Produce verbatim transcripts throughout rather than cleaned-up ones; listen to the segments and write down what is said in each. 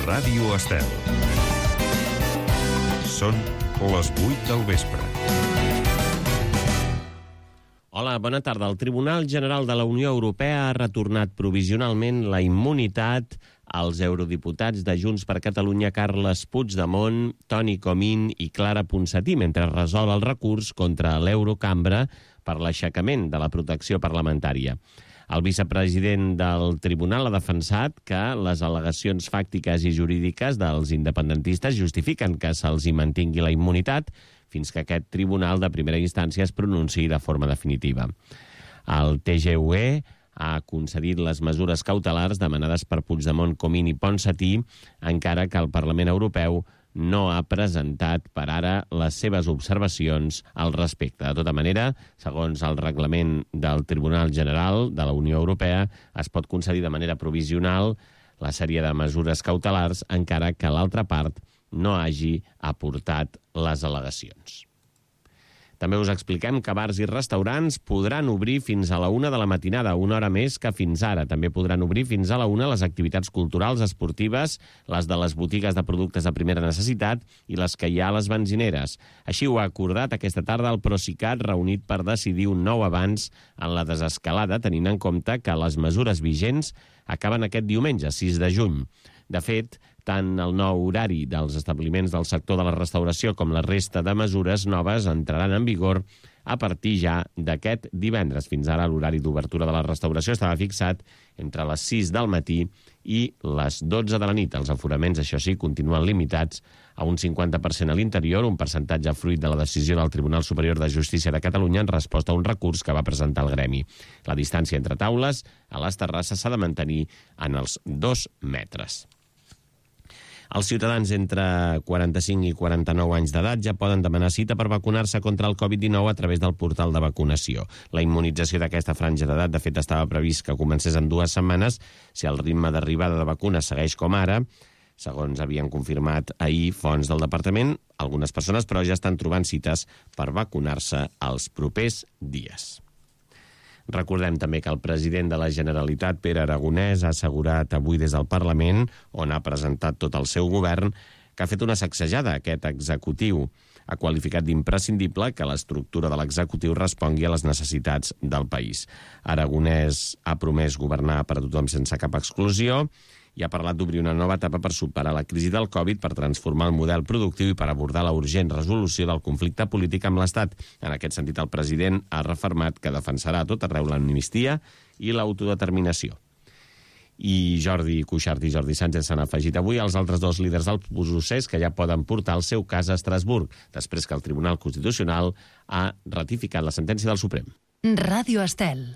Ràdio Estel. Són les vuit del vespre. Hola, bona tarda. El Tribunal General de la Unió Europea ha retornat provisionalment la immunitat als eurodiputats de Junts per Catalunya Carles Puigdemont, Toni Comín i Clara Ponsatí, mentre resol el recurs contra l'Eurocambra per l'aixecament de la protecció parlamentària. El vicepresident del tribunal ha defensat que les al·legacions fàctiques i jurídiques dels independentistes justifiquen que se'ls hi mantingui la immunitat fins que aquest tribunal de primera instància es pronunciï de forma definitiva. El T G U E ha concedit les mesures cautelars demanades per Puigdemont, Comín i Ponsatí, encara que el Parlament Europeu no ha presentat per ara les seves observacions al respecte. De tota manera, segons el reglament del Tribunal General de la Unió Europea, es pot concedir de manera provisional la sèrie de mesures cautelars, encara que l'altra part no hagi aportat les al·legacions. També us expliquem que bars i restaurants podran obrir fins a la una de la matinada, una hora més que fins ara. També podran obrir fins a la una les activitats culturals, esportives, les de les botigues de productes de primera necessitat i les que hi ha a les benzineres. Així ho ha acordat aquesta tarda el Procicat, reunit per decidir un nou avanç en la desescalada, tenint en compte que les mesures vigents acaben aquest diumenge, sis de juny. De fet, tant el nou horari dels establiments del sector de la restauració com la resta de mesures noves entraran en vigor a partir ja d'aquest divendres. Fins ara l'horari d'obertura de la restauració estava fixat entre les sis del matí i les dotze de la nit. Els aforaments, això sí, continuen limitats a un cinquanta per cent a l'interior, un percentatge fruit de la decisió del Tribunal Superior de Justícia de Catalunya en resposta a un recurs que va presentar el gremi. La distància entre taules a les terrasses s'ha de mantenir en els dos metres. Els ciutadans entre quaranta-cinc i quaranta-nou anys d'edat ja poden demanar cita per vacunar-se contra el covid dinou a través del portal de vacunació. La immunització d'aquesta franja d'edat, de fet, estava previst que comencés en dues setmanes si el ritme d'arribada de vacunes segueix com ara. Segons havien confirmat ahir fonts del departament, algunes persones però ja estan trobant cites per vacunar-se els propers dies. Recordem també que el president de la Generalitat, Pere Aragonès, ha assegurat avui des del Parlament, on ha presentat tot el seu govern, que ha fet una sacsejada a aquest executiu. Ha qualificat d'imprescindible que l'estructura de l'executiu respongui a les necessitats del país. Aragonès ha promès governar per a tothom sense cap exclusió i ha parlat d'obrir una nova etapa per superar la crisi del Covid, per transformar el model productiu i per abordar la urgent resolució del conflicte polític amb l'Estat. En aquest sentit, el president ha refermat que defensarà a tot arreu l'amnistia i l'autodeterminació. I Jordi Cuixart i Jordi Sánchez s'han afegit avui als altres dos líders del procés que ja poden portar el seu cas a Estrasburg, després que el Tribunal Constitucional ha ratificat la sentència del Suprem. Ràdio Estel.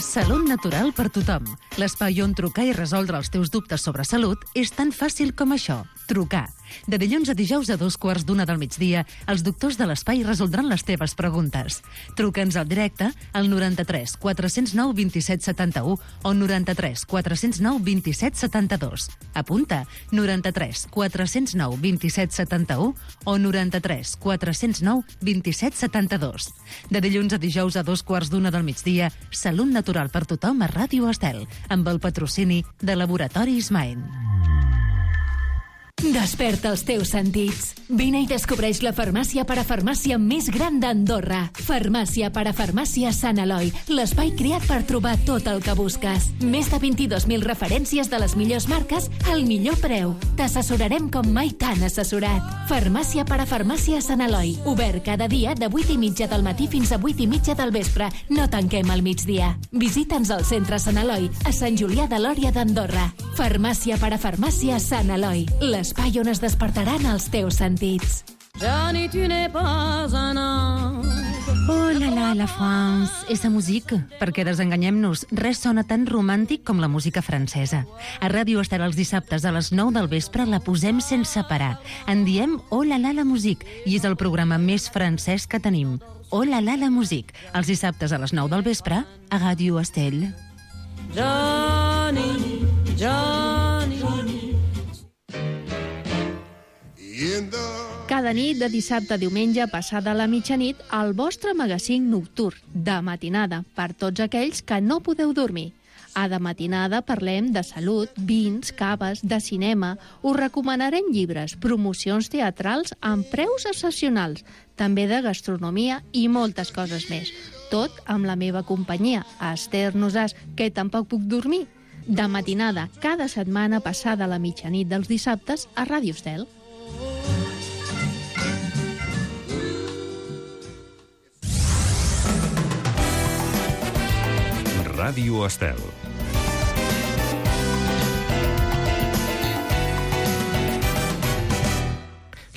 Salut natural per tothom. L'espai on trucar i resoldre els teus dubtes sobre salut és tan fàcil com això. Trucar. De dilluns a dijous a dos quarts d'una del migdia, els doctors de l'espai resoldran les teves preguntes. Truca'ns al directe al noranta-tres quatre zero nou vint set setanta-u o noranta-tres quatre zero nou vint set setanta-dos. Apunta, noranta-tres quatre zero nou vint set setanta-u o noranta-tres quatre zero nou vint set setanta-dos. De dilluns a dijous a dos quarts d'una del migdia, Salut natural per tothom a Ràdio Estel, amb el patrocini de Laboratoris Maen. Desperta els teus sentits. Vine i descobreix la farmàcia parafarmàcia més gran d'Andorra. Farmàcia parafarmàcia Sant Eloi, l'espai creat per trobar tot el que busques. Més de vint-i-dos mil referències de les millors marques al millor preu. T'assessorarem com mai t'han assessorat. Farmàcia parafarmàcia Sant Eloi, obert cada dia de vuit i mitja del matí fins a vuit i mitja del vespre. No tanquem al migdia. Visita'ns al centre Sant Eloi, a Sant Julià de Lòria d'Andorra. Farmàcia parafarmàcia Sant Eloi, l'espai on es despertaran els teus sentits. Johnny, tu n'es pas un ange. Oh la la, la France, esa musique. Perquè desenganyem-nos, res sona tan romàntic com la música francesa. A Ràdio Estel els dissabtes a les nou del vespre la posem sense parar. En diem Oh la la, la musique, i és el programa més francès que tenim. Oh la la, la musique, els dissabtes a les nou del vespre a Ràdio Estel. Johnny, Johnny, Johnny. Cada nit, de dissabte a diumenge, passada la mitjanit, el vostre magazín nocturn, de matinada, per tots aquells que no podeu dormir. A De Matinada parlem de salut, vins, caves, de cinema. Us recomanarem llibres, promocions teatrals amb preus excepcionals, també de gastronomia i moltes coses més. Tot amb la meva companyia, Esther Nosàs, que tampoc puc dormir. De Matinada, cada setmana passada la mitjanit dels dissabtes a Ràdio Estel. Ràdio Estel.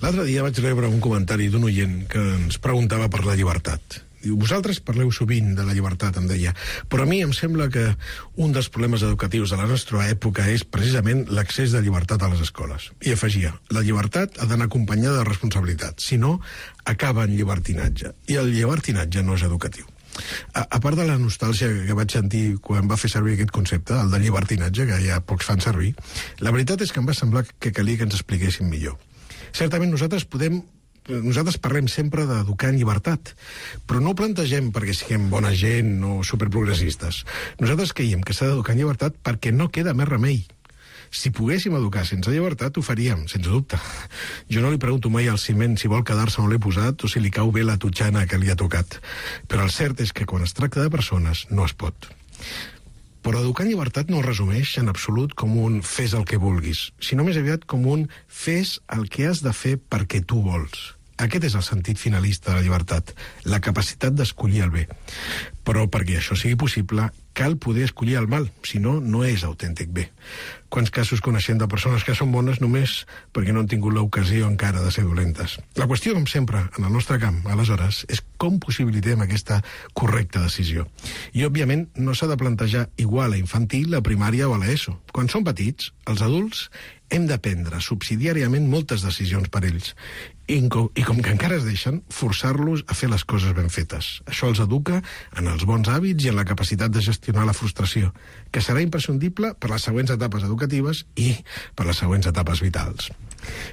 L'altre dia vaig rebre un comentari d'un oient que ens preguntava per la llibertat. Diu, vosaltres parleu sovint de la llibertat, em deia, però a mi em sembla que un dels problemes educatius de la nostra època és precisament l'accés de llibertat a les escoles. I afegia, la llibertat ha d'anar acompanyada de responsabilitat, si no, acaba en llibertinatge. I el llibertinatge no és educatiu. A, a part de la nostàlgia que vaig sentir quan va fer servir aquest concepte, el de llibertinatge, que ja pocs fan servir, la veritat és que em va semblar que calia que ens expliquéssim millor. Certament nosaltres podem Nosaltres parlem sempre d'educar en llibertat, però no ho plantegem perquè siguem bona gent o superprogressistes. Nosaltres creiem que s'ha d'educar en llibertat perquè no queda més remei. Si poguéssim educar sense llibertat, ho faríem, sense dubte. Jo no li pregunto mai al ciment si vol quedar-se on l'he posat o si li cau bé la totxana que li ha tocat. Però el cert és que quan es tracta de persones no es pot. Però educar en llibertat no es resumeix en absolut com un fes el que vulguis, sinó més aviat com un fes el que has de fer perquè tu vols. Aquest és el sentit finalista de la llibertat, la capacitat d'escollir el bé. Però perquè això sigui possible, cal poder escollir el mal, si no, no és autèntic bé. Quants casos coneixem de persones que són bones només perquè no han tingut l'ocasió encara de ser dolentes? La qüestió, com sempre, en el nostre camp, aleshores, és com possibilitem aquesta correcta decisió. I, òbviament, no s'ha de plantejar igual a infantil, a primària o a l'ESO. Quan són petits, els adults hem de prendre subsidiàriament moltes decisions per ells. I com, I com que encara es deixen, forçar-los a fer les coses ben fetes. Això els educa en els bons hàbits i en la capacitat de gestionar la frustració, que serà imprescindible per les següents etapes educatives i per les següents etapes vitals.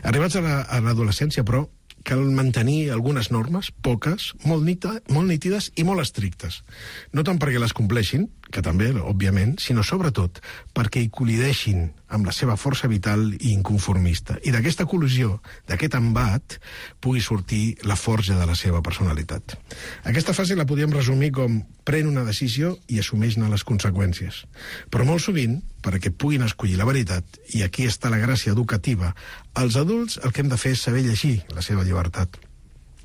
Arribats a la, a l'adolescència, però, cal mantenir algunes normes, poques, molt, nita, molt nítides i molt estrictes. No tant perquè les compleixin, que també, òbviament, sinó sobretot perquè hi col·lideixin amb la seva força vital i inconformista. I d'aquesta col·lisió, d'aquest embat, pugui sortir la forja de la seva personalitat. Aquesta fase la podríem resumir com pren una decisió i assumeix-ne les conseqüències. Però molt sovint, perquè puguin escollir la veritat, i aquí està la gràcia educativa, els adults el que hem de fer és saber llegir la seva llibertat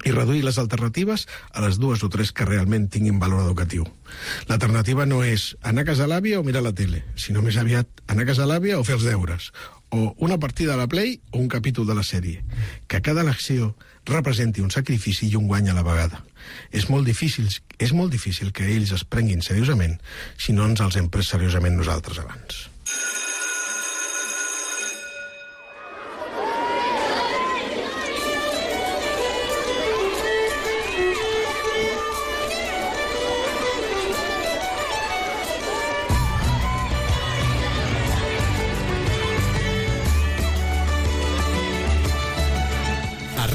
i reduir les alternatives a les dues o tres que realment tinguin valor educatiu. L'alternativa no és anar a casa l'àvia o mirar la tele, sinó més aviat anar a casa l'àvia o fer els deures, o una partida a la Play o un capítol de la sèrie. Que cada elecció representi un sacrifici i un guany a la vegada. És molt difícil, és molt difícil que ells es prenguin seriosament si no ens els hem pres seriosament nosaltres abans.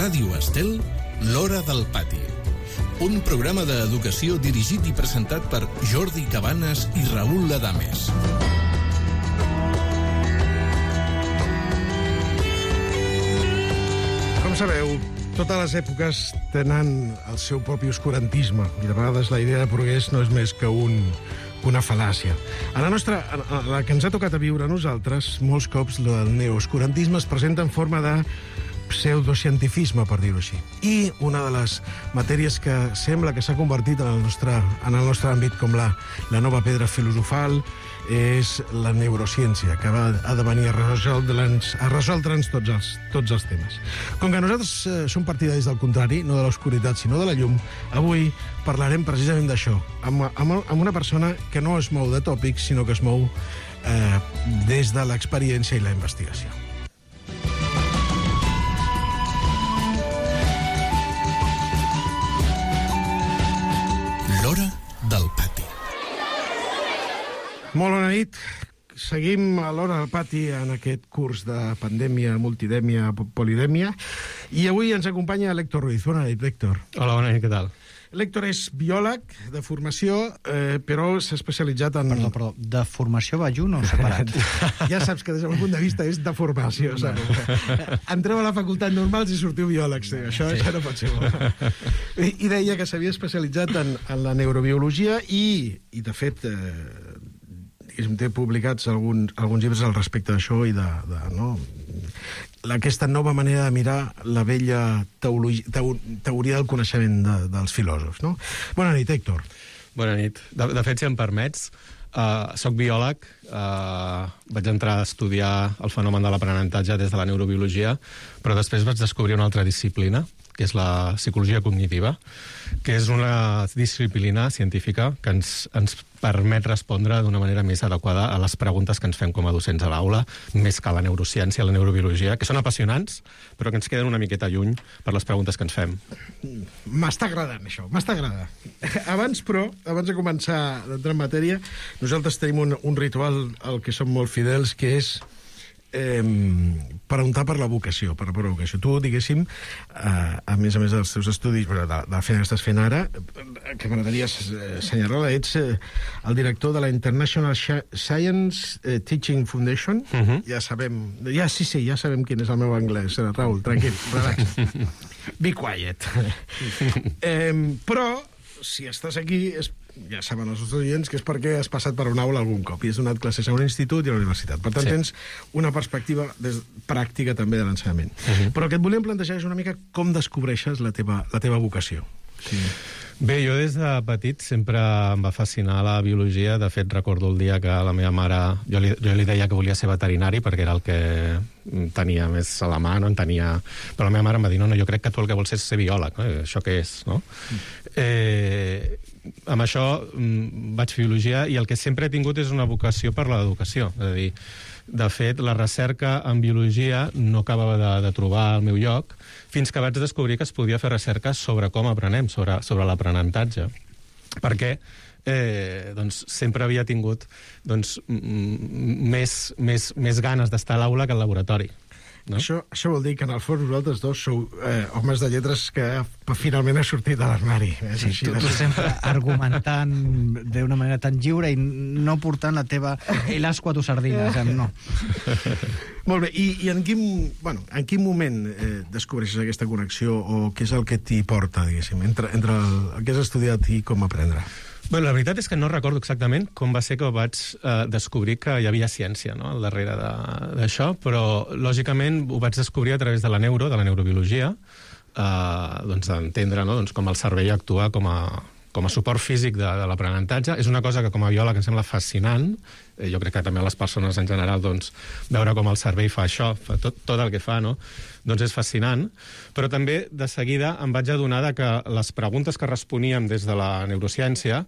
Ràdio Estel, l'Hora del Pati. Un programa d'educació dirigit i presentat per Jordi Cabanes i Raül Ladames. Com sabeu, totes les èpoques tenen el seu propi oscurantisme i de vegades la idea de progrés no és més que un, una fal·làcia. A la nostra, a la que ens ha tocat a viure a nosaltres, molts cops el neooscurantisme es presenta en forma de pseudocientifisme, per dir-ho així. I una de les matèries que sembla que s'ha convertit en el nostre, en el nostre àmbit com la, la nova pedra filosofal és la neurociència, que va, ha de venir a resoldre'ns, a resoldre'ns tots, els, tots els temes. Com que nosaltres eh, som partidaris del contrari, no de l'oscuritat, sinó de la llum, avui parlarem precisament d'això, amb, amb, amb una persona que no es mou de tòpics, sinó que es mou eh, des de l'experiència i la investigació. L'Hora del Pati. Molt bona nit. Seguim a l'Hora del Pati en aquest curs de pandèmia, multidèmia, polidèmia. I avui ens acompanya l'Héctor Ruiz. Bona nit, Héctor. Hola, bona nit, què tal? L'Héctor és biòleg de formació, eh, però s'ha especialitzat en... Perdó, perdó, de formació va junt o separat? Ja saps que des del meu punt de vista és de formació, saps? Entreu a la facultat normals i sortiu biòlegs, sí. Això, sí. Això no pot ser bo. I, i deia que s'havia especialitzat en, en la neurobiologia i, i de fet, eh, diguéssim, té publicats alguns, alguns llibres al respecte d'això i de... de no? Aquesta nova manera de mirar la vella teologia, teo, teoria del coneixement de, dels filòsofs, no? Bona nit, Héctor. Bona nit. De, de fet, si em permets, uh, soc biòleg, uh, vaig entrar a estudiar el fenomen de l'aprenentatge des de la neurobiologia, però després vaig descobrir una altra disciplina, que és la psicologia cognitiva, que és una disciplina científica que ens, ens permet respondre d'una manera més adequada a les preguntes que ens fem com a docents a l'aula, més que la neurociència, la neurobiologia, que són apassionants, però que ens queden una miqueta lluny per les preguntes que ens fem. M'està agradant, això, m'està agradant. Abans, però, abans de començar a entrar en matèria, nosaltres tenim un, un ritual al que som molt fidels, que és Eh, preguntar per la vocació, per la vocació. Tu, diguéssim, eh, a més a més dels teus estudis, de, de la feina que estàs fent ara, que m'agradaria assenyalar-la, ets eh, el director de la International Science eh, Teaching Foundation. Uh-huh. Ja sabem, ja sí, sí, ja sabem quin és el meu anglès, Raül, tranquil, relax. Be quiet. eh, però, si estàs aquí, és ja saben els nostres oients que és perquè has passat per una aula algun cop i has donat classes a un institut i a la universitat. Per tant, sí. Tens una perspectiva des, pràctica també de l'ensenyament. Uh-huh. Però el que et volíem plantejar és una mica com descobreixes la teva, la teva vocació. Sí. Bé, jo des de petit sempre em va fascinar la biologia. De fet, recordo el dia que la meva mare... Jo li, jo li deia que volia ser veterinari perquè era el que tenia més a la mà, no en tenia... Però la meva mare em va dir, no, no, jo crec que tu el que vols és ser biòleg, no? Això què és, no? Mm. Eh, amb això mm, vaig fer biologia i el que sempre he tingut és una vocació per l'educació. És a dir, de fet, la recerca en biologia no acabava de, de trobar el meu lloc fins que vaig descobrir que es podia fer recerca sobre com aprenem, sobre, sobre l'aprenentatge. Perquè eh, doncs, sempre havia tingut doncs, més, més, més ganes d'estar a l'aula que al laboratori. No? Això, això vol dir que en el fons vosaltres dos sou eh, homes de lletres que finalment ha sortit de l'armari. Sí, tu, tu sempre argumentant d'una manera tan lliure i no portant la teva el asco a tu sardina. Eh. No. Molt bé, i, i en, quin, bueno, en quin moment eh, descobreixes aquesta connexió o què és el que t'hi porta, diguéssim, entre, entre el, el que has estudiat i com aprendre? Bé, la veritat és que no recordo exactament com va ser que vaig eh, descobrir que hi havia ciència, no?, al darrere d'això, però lògicament ho vaig descobrir a través de la neuro, de la neurobiologia, eh, doncs d'entendre, no?, doncs com el cervell actua com a, com a suport físic de, de l'aprenentatge. És una cosa que com a biòleg em sembla fascinant. Eh, jo crec que també a les persones en general, doncs, veure com el cervell fa això, fa tot, tot el que fa, no?, doncs és fascinant. Però també, de seguida, em vaig adonar que les preguntes que responíem des de la neurociència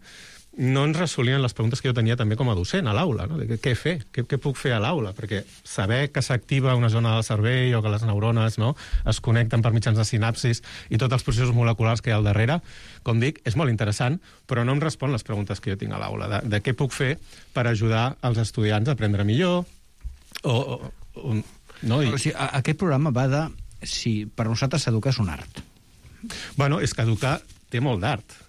no ens resolien les preguntes que jo tenia també com a docent a l'aula, no? De què fer? Què, què puc fer a l'aula? Perquè saber que s'activa una zona del cervell o que les neurones, no?, es connecten per mitjans de sinapsis i tots els processos moleculars que hi ha al darrere, com dic, és molt interessant, però no em respon les preguntes que jo tinc a l'aula, de, de què puc fer per ajudar els estudiants a aprendre millor o... o, o no? I... O sigui, aquest programa va de si per nosaltres educar és un art. Bueno, és que educar té molt d'art.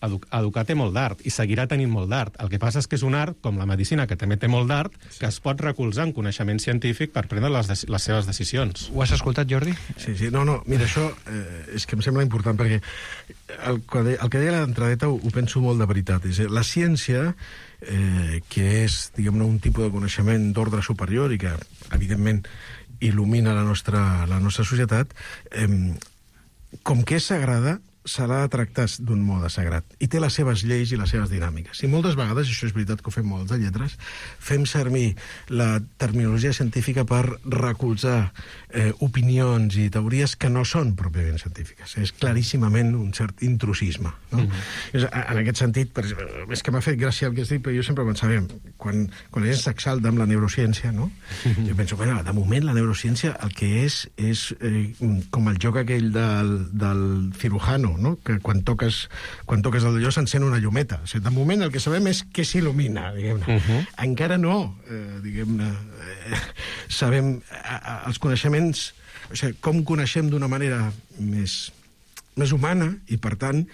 Educar té molt d'art i seguirà tenint molt d'art. El que passa és que és un art, com la medicina, que també té molt d'art, sí, que es pot recolzar en coneixement científic per prendre les, les seves decisions. Ho has escoltat, Jordi? Sí, sí. No, no, mira, això eh, és que em sembla important, perquè el, el que deia l'entradeta ho, ho penso molt de veritat. És, la ciència, eh, que és, diguem-ne, un tipus de coneixement d'ordre superior i que, evidentment, il·lumina la nostra, la nostra societat, eh, com que és sagrada, se l'ha de tractar d'un mode sagrat. I té les seves lleis i les seves dinàmiques. I moltes vegades, i això és veritat que ho fem molts de lletres, fem servir la terminologia científica per recolzar eh, opinions i teories que no són pròpiament científiques. És claríssimament un cert intrusisme. No? Mm-hmm. En aquest sentit, per, és que m'ha fet gràcia el que has dit, però jo sempre pensava, quan, quan la gent s'exalta amb la neurociència, no? Mm-hmm. Jo penso, bueno, de moment la neurociència el que és és eh, com el joc aquell del, del cirujano, no? Que quan toques, quan toques el d'allò s'encén una llumeta. O sigui, de moment el que sabem és què s'il·lumina, diguem-ne. Uh-huh. Encara no, eh, diguem-ne, eh, sabem eh, els coneixements, o sigui, com coneixem d'una manera més, més humana i, per tant,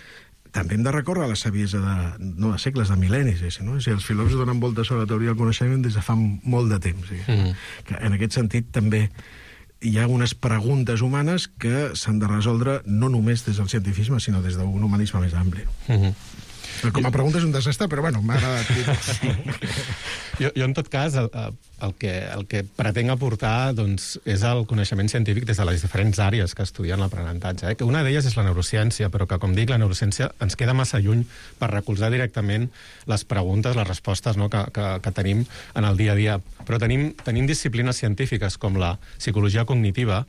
també hem de recórrer a la saviesa de, no de segles, de mil·lennis. No? Si els filòsofs donen voltes sobre la teoria del coneixement des de fa molt de temps. Mm. Que en aquest sentit també hi ha unes preguntes humanes que s'han de resoldre no només des del cientifisme, sinó des d'un humanisme més ampli. Mm-hmm. Com a pregunta és un desastre, però bueno, m'ha agradat dir. jo, jo, en tot cas, el, el, que, el que pretenc aportar doncs, és el coneixement científic des de les diferents àrees que estudien l'aprenentatge. Eh? Que una d'elles és la neurociència, però que, com dic, la neurociència ens queda massa lluny per recolzar directament les preguntes, les respostes, no?, que, que, que tenim en el dia a dia. Però tenim, tenim disciplines científiques com la psicologia cognitiva,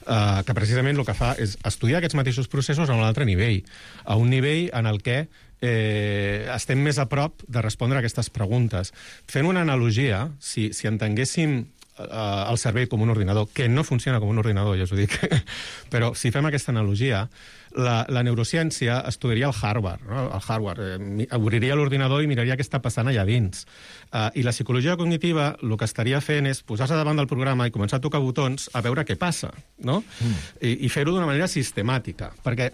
eh, que precisament el que fa és estudiar aquests mateixos processos a un altre nivell, a un nivell en el que eh, estem més a prop de respondre a aquestes preguntes. Fent una analogia, si, si entenguéssim eh, el cervell com un ordinador, que no funciona com un ordinador, ja us ho dic, però si fem aquesta analogia, la, la neurociència estudiaria el hardware, no? El hardware, eh, obriria l'ordinador i miraria què està passant allà dins. Uh, I la psicologia cognitiva el que estaria fent és posar-se davant del programa i començar a tocar botons a veure què passa, no? Mm. I, i fer-ho d'una manera sistemàtica. Perquè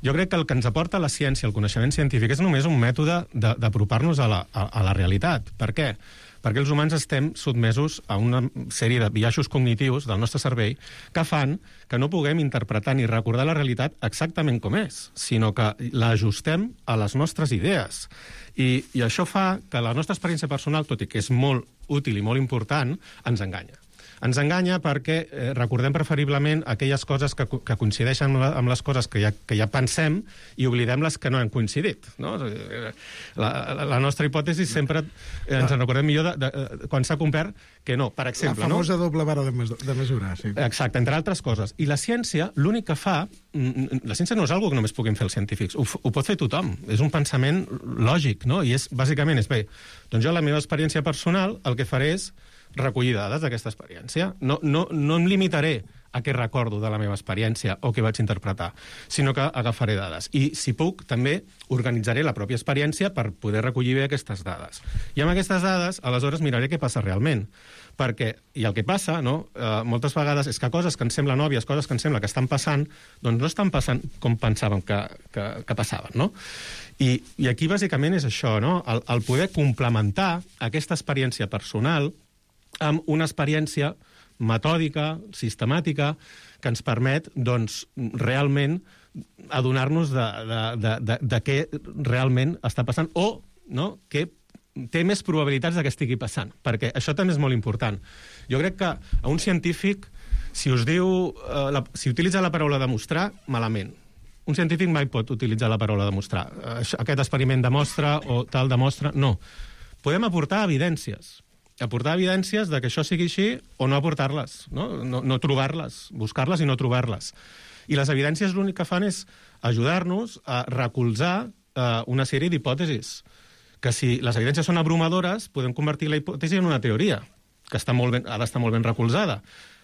jo crec que el que ens aporta la ciència, el coneixement científic, és només un mètode d'apropar-nos a, la, a, a la realitat. Per què? Perquè els humans estem sotmesos a una sèrie de biaixos cognitius del nostre cervell que fan que no puguem interpretar ni recordar la realitat exactament com és, sinó que l'ajustem a les nostres idees. I, I això fa que la nostra experiència personal, tot i que és molt útil i molt important, ens enganya. Ens enganya perquè eh, recordem preferiblement aquelles coses que, que coincideixen amb, la, amb les coses que ja, que ja pensem i oblidem les que no han coincidit. No? La, la, la nostra hipòtesi sempre eh, ens en recordem millor de, de, de, quan s'ha complert que no, per exemple. La famosa no? doble vara de, mes, de mesurar, sí. Exacte, entre altres coses. I la ciència, l'únic que fa... La ciència no és una cosa que només puguin fer els científics, ho, ho pot fer tothom. És un pensament lògic, no? I és, bàsicament, és bé, doncs jo la meva experiència personal el que faré és recollir dades d'aquesta experiència. No, no, no em limitaré a què recordo de la meva experiència o què vaig interpretar, sinó que agafaré dades. I, si puc, també organitzaré la pròpia experiència per poder recollir bé aquestes dades. I amb aquestes dades, aleshores, miraré què passa realment. Perquè, i el que passa, no?, eh, moltes vegades és que coses que ens semblen òbvies, coses que ens sembla que estan passant, doncs no estan passant com pensàvem que, que, que passaven, no? I, I aquí, bàsicament, és això, no?, el, el poder complementar aquesta experiència personal amb una experiència metòdica, sistemàtica, que ens permet, doncs, realment adonar-nos de, de, de, de, de què realment està passant o, no?, què té més probabilitats de que estigui passant, perquè això també és molt important. Jo crec que a un científic, si us diu, eh, la, si utilitza la paraula demostrar, malament. Un científic mai pot utilitzar la paraula demostrar. Eh, aquest experiment demostra o tal demostra, no. Podem aportar evidències, aportar evidències de que això sigui així o no aportar-les, no, no, no trobar-les, buscar-les i no trobar-les. I les evidències l'únic que fan és ajudar-nos a recolzar eh, una sèrie d'hipòtesis, que si les evidències són abrumadores, podem convertir la hipòtesi en una teoria, que està molt ben, ha d'estar molt ben recolzada.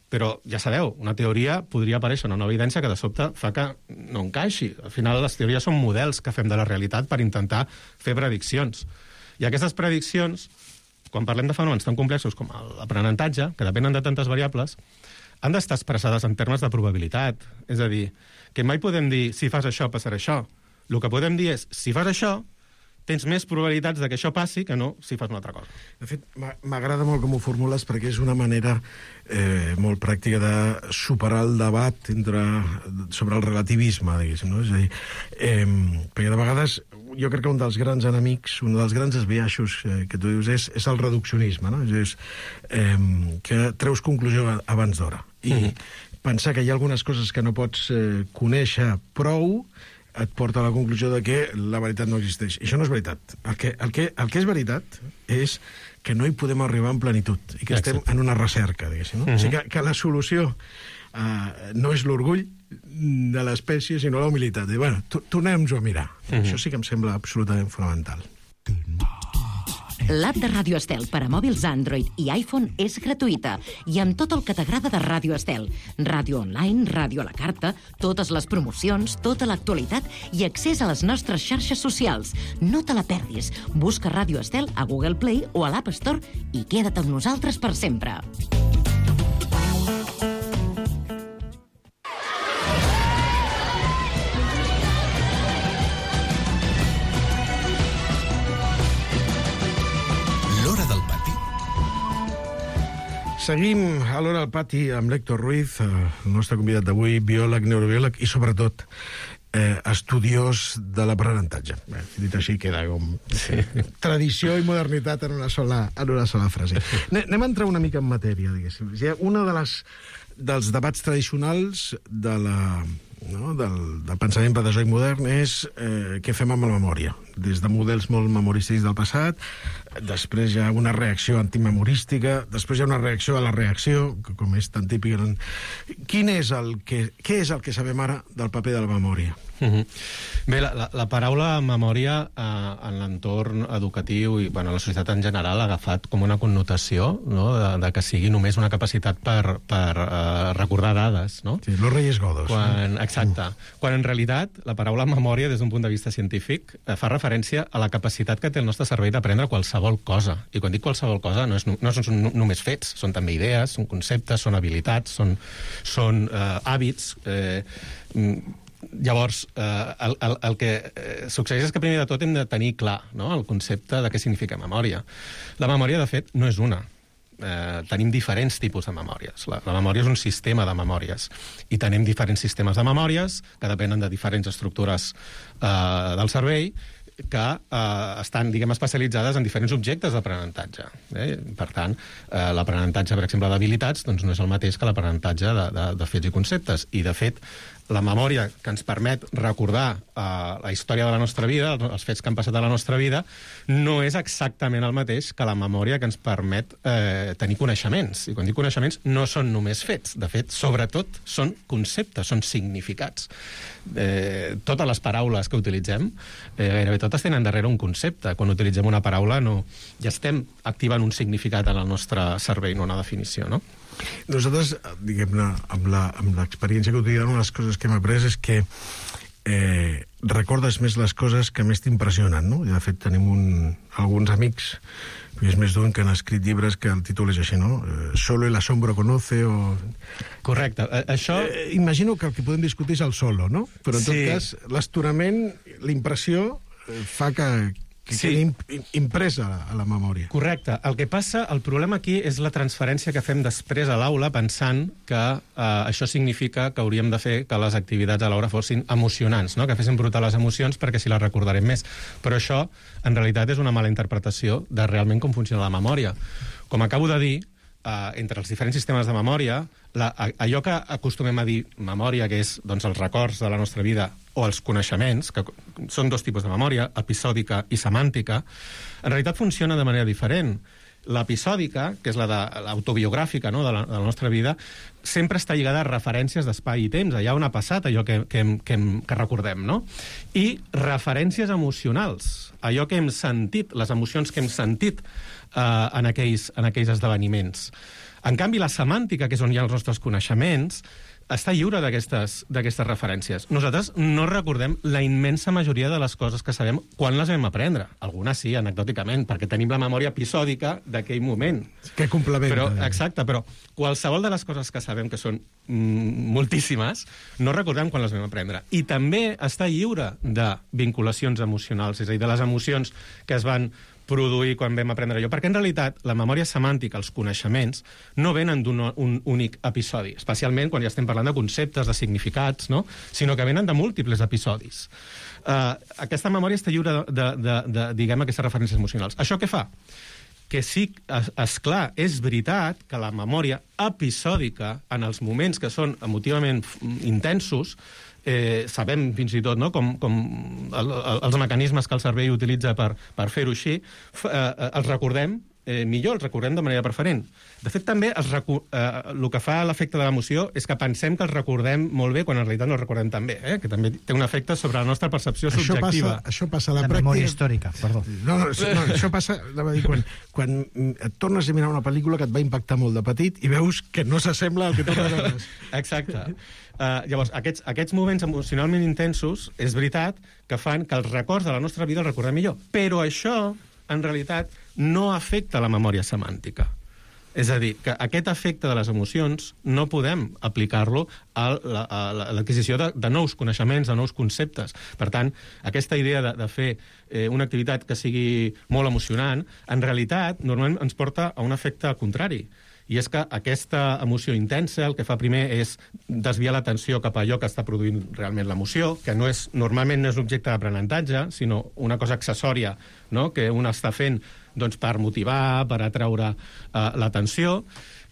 Però, ja sabeu, una teoria podria aparèixer una nova evidència que de sobte fa que no encaixi. Al final, les teories són models que fem de la realitat per intentar fer prediccions. I aquestes prediccions, quan parlem de fenòmens tan complexos com l'aprenentatge, que depenen de tantes variables, han d'estar expressades en termes de probabilitat. És a dir, que mai podem dir, si fas això, passarà això. El que podem dir és, si fas això, tens més probabilitats de que això passi que no si fas una altra cosa. De fet, m'agrada molt com ho formules perquè és una manera eh, molt pràctica de superar el debat entre, sobre el relativisme, diguéssim, no? És a dir, eh, perquè de vegades jo crec que un dels grans enemics, un dels grans esbiaixos eh, que tu dius és, és el reduccionisme, no? És eh, que treus conclusió abans d'hora. I mm-hmm. pensar que hi ha algunes coses que no pots eh, conèixer prou et porta a la conclusió de que la veritat no existeix. I això no és veritat. El que, el que, el que és veritat és que no hi podem arribar en plenitud i que Exacte. Estem en una recerca, diguéssim. No? Uh-huh. O sigui que, que la solució uh, no és l'orgull de l'espècie, sinó la humilitat. I, bueno, tornem-nos a mirar. Uh-huh. Això sí que em sembla absolutament fonamental. L'app de Ràdio Estel per a mòbils Android i iPhone és gratuïta i amb tot el que t'agrada de Ràdio Estel. Ràdio online, ràdio a la carta, totes les promocions, tota l'actualitat i accés a les nostres xarxes socials. No te la perdis. Busca Ràdio Estel a Google Play o a l'App Store i queda't amb nosaltres per sempre. Seguim a l'Hora al Pati amb l'Héctor Ruiz, el nostre convidat d'avui, biòleg, neurobiòleg i, sobretot, eh, estudiós de l'aprenentatge. Bé, dit així queda com sí. Tradició i modernitat en una sola, en una sola frase. Anem a entrar una mica en matèria, diguéssim. Una de les, dels debats tradicionals de la... No, del, del pensament pedagogic modern és eh, què fem amb la memòria. Des de models molt memorístics del passat, després hi ha una reacció antimemorística, després hi ha una reacció a la reacció, que com és tan típic... Quin és el que, què és el que sabem ara del paper de la memòria? Uh-huh. Bé, la, la, la paraula memòria eh, en l'entorn educatiu i bueno, la societat en general ha agafat com una connotació, no? de, de que sigui només una capacitat per, per eh, recordar dades. No? Sí, los Reyes Godos. Quan, no? Exacte. Uh. Quan en realitat la paraula memòria, des d'un punt de vista científic, eh, fa referència a la capacitat que té el nostre cervell d'aprendre qualsevol cosa. I quan dic qualsevol cosa no, és, no són només fets, són també idees, són conceptes, són habilitats, són, són eh, hàbits... Eh, Llavors, eh, el, el, el que eh, succeeix és que primer de tot hem de tenir clar, no?, el concepte de què significa memòria. La memòria, de fet, no és una. Eh, tenim diferents tipus de memòries. La, la memòria és un sistema de memòries i tenim diferents sistemes de memòries que depenen de diferents estructures eh, del cervell que eh, estan, diguem, especialitzades en diferents objectes d'aprenentatge. Eh? Per tant, eh, l'aprenentatge, per exemple, d'habilitats doncs no és el mateix que l'aprenentatge de, de, de fets i conceptes. I, de fet, la memòria que ens permet recordar eh, la història de la nostra vida, els fets que han passat a la nostra vida, no és exactament el mateix que la memòria que ens permet eh, tenir coneixements. I quan dic coneixements, no són només fets. De fet, sobretot, són conceptes, són significats. Eh, totes les paraules que utilitzem, eh, gairebé totes tenen darrere un concepte. Quan utilitzem una paraula, no, ja estem activant un significat en el nostre cervell, no una definició, no? Nosaltres, diguem-ne, amb l'experiència quotidiana, una de les coses que hem après és que eh, recordes més les coses que més t'impressionen, no? I, de fet, tenim un, alguns amics, és més d'un, que han escrit llibres que el títol és així, no? Eh, Solo el asombro conoce o... Correcte. Això... Eh, imagino que el que podem discutir és el solo, no? Però, en sí. tot cas, l'estonament, l'impressió, eh, fa que... que sí. quedi impresa a la memòria. Correcte. El que passa, el problema aquí és la transferència que fem després a l'aula pensant que eh, això significa que hauríem de fer que les activitats a l'aula fossin emocionants, no? Que fessin brotar les emocions perquè si les recordarem més. Però això, en realitat, és una mala interpretació de realment com funciona la memòria. Com acabo de dir, Uh, entre els diferents sistemes de memòria, la, a, allò que acostumem a dir memòria, que és doncs, els records de la nostra vida o els coneixements, que són dos tipus de memòria, episòdica i semàntica, en realitat funciona de manera diferent. L'episòdica, que és la de l'autobiogràfica, no?, de, la, de la nostra vida, sempre està lligada a referències d'espai i temps, allà on ha passat allò que, que, que, que recordem, no? I referències emocionals, allò que hem sentit, les emocions que hem sentit eh, en, aquells, en aquells esdeveniments. En canvi, la semàntica, que és on hi ha els nostres coneixements, està lliure d'aquestes referències. Nosaltres no recordem la immensa majoria de les coses que sabem quan les vam aprendre. Algunes sí, anecdòticament, perquè tenim la memòria episòdica d'aquell moment. Que complementa. Però, exacte, però qualsevol de les coses que sabem, que són mm, moltíssimes, no recordem quan les vam aprendre. I també està lliure de vinculacions emocionals, és a dir, de les emocions que es van produir quan vam aprendre allò. Perquè, en realitat, la memòria semàntica, els coneixements, no venen d'un un únic episodi, especialment quan ja estem parlant de conceptes, de significats, no? Sinó que venen de múltiples episodis. Uh, aquesta memòria està lliure de, de, de, de, diguem, aquestes referències emocionals. Això què fa? Que sí, és, és clar, és veritat que la memòria episòdica, en els moments que són emotivament intensos, Eh, sabem fins i tot, no?, com, com el, el, els mecanismes que el cervell utilitza per, per fer-ho així, f, eh, els recordem eh, millor, els recordem de manera preferent. De fet, també els recu eh, el que fa l'efecte de l'emoció és que pensem que els recordem molt bé quan en realitat no els recordem tan bé, eh? Que també té un efecte sobre la nostra percepció això subjectiva. Passa, això passa a la, la pràctica... memòria històrica, perdó. No, no, no, això passa dir, quan, quan et tornes a mirar una pel·lícula que et va impactar molt de petit i veus que no s'assembla al que tornes a veure. Exacte. Uh, llavors, aquests, aquests moments emocionalment intensos, és veritat que fan que els records de la nostra vida els recordem millor. Però això, en realitat, no afecta la memòria semàntica. És a dir, que aquest efecte de les emocions no podem aplicar-lo a l'adquisició de, de nous coneixements, de nous conceptes. Per tant, aquesta idea de, de fer eh, una activitat que sigui molt emocionant, en realitat, normalment ens porta a un efecte contrari. I és que aquesta emoció intensa el que fa primer és desviar l'atenció cap a allò que està produint realment l'emoció, que no és, normalment no és objecte d'aprenentatge, sinó una cosa accessòria, no?, que un està fent doncs, per motivar, per atraure eh, l'atenció,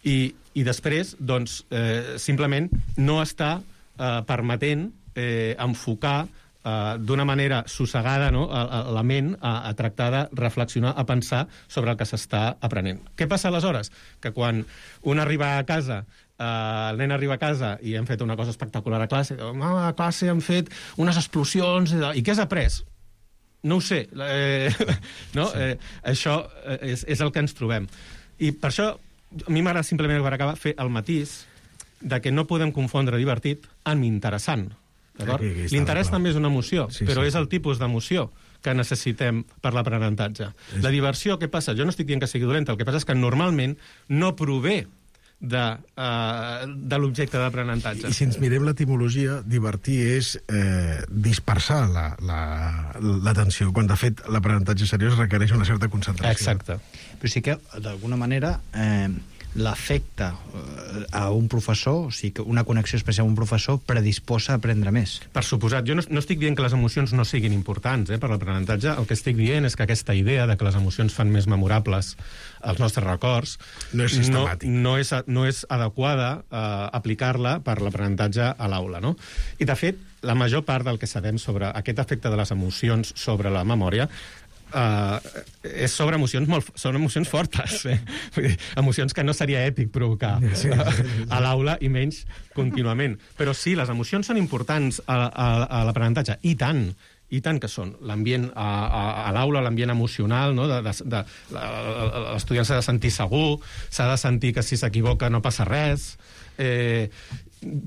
i, i després doncs, eh, simplement no està eh, permetent eh, enfocar Uh, d'una manera sossegada, no?, a, a la ment a, a tractar de reflexionar, a pensar sobre el que s'està aprenent. Què passa aleshores? Que quan un arriba a casa, uh, el nen arriba a casa i hem fet una cosa espectacular a classe, oh, a classe hem fet unes explosions, i què has après? No ho sé. Eh, no? Sí. Eh, això és, és el que ens trobem. I per això a mi m'agrada simplement, per acabar, fer el matís de que no podem confondre divertit amb interessant. L'interès també és una emoció, sí, però sí, és el tipus d'emoció que necessitem per l'aprenentatge. És... La diversió, què passa? Jo no estic dient que sigui dolenta, el que passa és que normalment no prové de, uh, de l'objecte d'aprenentatge. I si ens mirem l'etimologia, divertir és eh, dispersar l'atenció, la, la, quan de fet l'aprenentatge seriós requereix una certa concentració. Exacte. Però sí que, d'alguna manera... Eh... l'efecte a un professor, o sigui, que una connexió especial amb un professor predisposa a aprendre més. Per suposat. Jo no, no estic dient que les emocions no siguin importants eh, per l'aprenentatge. El que estic dient és que aquesta idea de que les emocions fan més memorables els nostres records no és sistemàtic. No, no, és, no és adequada eh, aplicar-la per l'aprenentatge a l'aula, no? I, de fet, la major part del que sabem sobre aquest efecte de les emocions sobre la memòria Uh, és sobre emocions molt, són emocions fortes, eh? Vull dir, emocions que no seria ètic provocar sí, sí, sí. a l'aula i menys contínuament. Però sí, les emocions són importants a, a, a l'aprenentatge, i tant, i tant que són. L'ambient a, a, a l'aula, l'ambient emocional, no? de, de, de, l'estudiant s'ha de sentir segur, s'ha de sentir que si s'equivoca no passa res. Eh,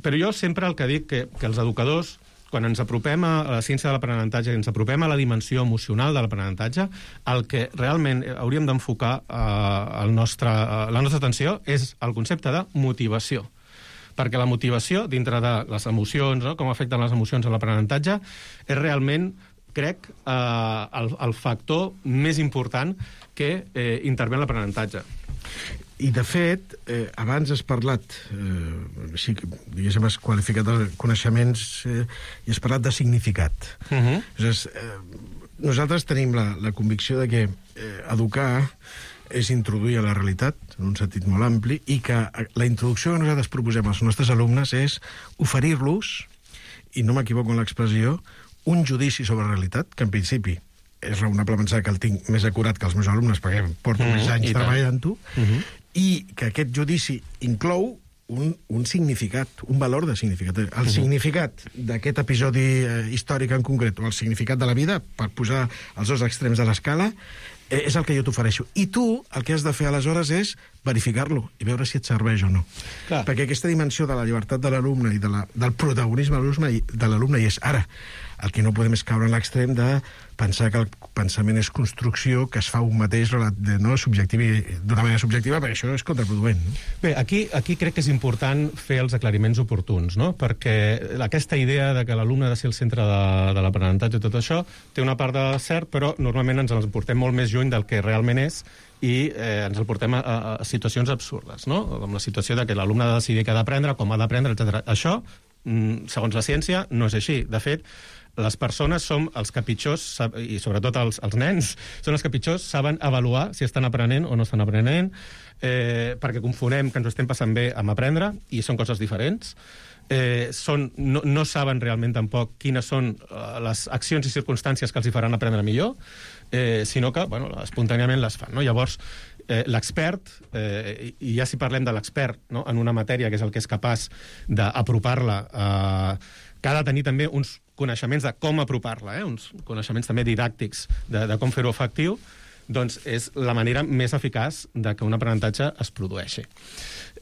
però jo sempre el que dic que, que els educadors, quan ens apropem a la ciència de l'aprenentatge, ens apropem a la dimensió emocional de l'aprenentatge, el que realment hauríem d'enfocar eh, el nostre, eh, la nostra atenció és el concepte de motivació. Perquè la motivació, dintre de les emocions, no? Com afecten les emocions a l'aprenentatge, és realment, crec, eh, el, el factor més important que eh, intervé en l'aprenentatge. I, de fet, eh, abans has parlat, eh, sí, diguéssim, has qualificat els coneixements eh, i has parlat de significat. Uh -huh. Llavors, eh, nosaltres tenim la, la convicció de que eh, educar és introduir a la realitat, en un sentit molt ampli, i que la introducció que nosaltres proposem als nostres alumnes és oferir-los, i no m'equivoco en l'expressió, un judici sobre la realitat, que en principi és raonable pensar que el tinc més acurat que els meus alumnes, perquè porto mm, més anys treballant-ho, mm -hmm. i que aquest judici inclou un, un significat, un valor de significat. El mm -hmm. significat d'aquest episodi eh, històric en concret, o el significat de la vida, per posar els dos extrems de l'escala, eh, és el que jo t'ofereixo. I tu el que has de fer aleshores és verificar-lo i veure si et serveix o no. Clar. Perquè aquesta dimensió de la llibertat de l'alumne i de la, del protagonisme de l'alumne hi és. Ara, el que no podem és caure en l'extrem de pensar que el pensament és construcció, que es fa un mateix no, d'una manera subjectiva, perquè això és contraproduent. No? Bé, aquí, aquí crec que és important fer els aclariments oportuns, no? Perquè aquesta idea de que l'alumne ha de ser el centre de, de l'aprenentatge i tot això té una part de cert, però normalment ens el portem molt més lluny del que realment és i eh, ens el portem a, a, a situacions absurdes, no? Com la situació de que l'alumne ha de decidir què ha d'aprendre, com ha d'aprendre, etcètera. Això, segons la ciència, no és així. De fet, les persones som els que pitjors, i sobretot els, els nens, són els que pitjors saben avaluar si estan aprenent o no estan aprenent, eh, perquè confonem que ens ho estem passant bé amb aprendre, i són coses diferents. Eh, són, no, no saben realment tampoc quines són uh, les accions i circumstàncies que els hi faran aprendre millor, eh, sinó que, bueno, espontàniament les fan, no? Llavors, eh, l'expert, eh, i ja si parlem de l'expert, no?, en una matèria que és el que és capaç d'apropar-la, eh, que ha de tenir també uns coneixements de com apropar-la, eh? Uns coneixements també didàctics de, de com fer-ho efectiu, doncs és la manera més eficaç de que un aprenentatge es produeixi.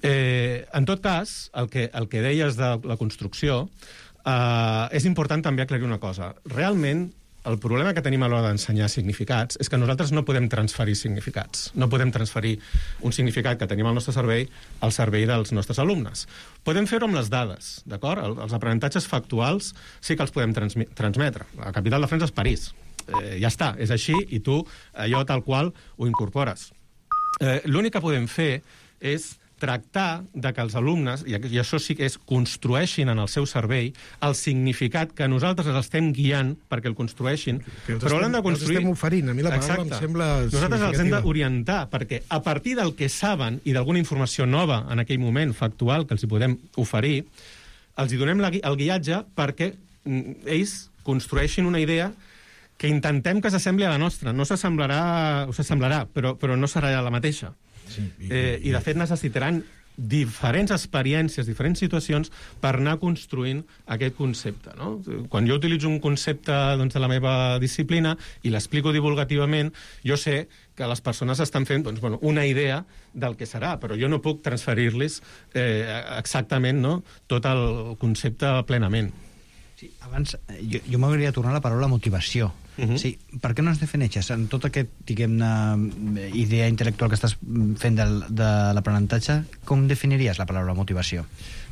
Eh, en tot cas, el que, el que deies de la construcció, eh, és important també aclarir una cosa. Realment, el problema que tenim a l'hora d'ensenyar significats és que nosaltres no podem transferir significats. No podem transferir un significat que tenim al nostre cervell al cervell dels nostres alumnes. Podem fer-ho amb les dades, d'acord? Els aprenentatges factuals sí que els podem transmetre. La capital de França és París. Eh, ja està, és així, i tu allò tal qual ho incorpores. Eh, L'únic que podem fer és tractar de que els alumnes, i això sí que és, construeixin en el seu cervell el significat que nosaltres els estem guiant perquè el construeixin, però l'han de construir... Els estem oferint, a mi la paraula Exacte. em sembla Nosaltres els hem d'orientar, perquè a partir del que saben i d'alguna informació nova en aquell moment, factual, que els hi podem oferir, els hi donem la, el guiatge perquè ells construeixin una idea que intentem que s'assembli a la nostra. No s'assemblarà, o s'assemblarà, però, però no serà la mateixa. Sí, i, eh, I, de fet, necessitaran diferents experiències, diferents situacions per anar construint aquest concepte. No? Quan jo utilitzo un concepte doncs, de la meva disciplina i l'explico divulgativament, jo sé que les persones estan fent doncs, bueno, una idea del que serà, però jo no puc transferir-los eh, exactament, no?, tot el concepte plenament. Sí, abans, jo, jo m'agradaria tornar a la paraula motivació. Uh-huh. Sí, per què no es defineixes en tota aquesta, diguem-ne, idea intel·lectual que estàs fent del, de l'aprenentatge, com definiries la paraula motivació?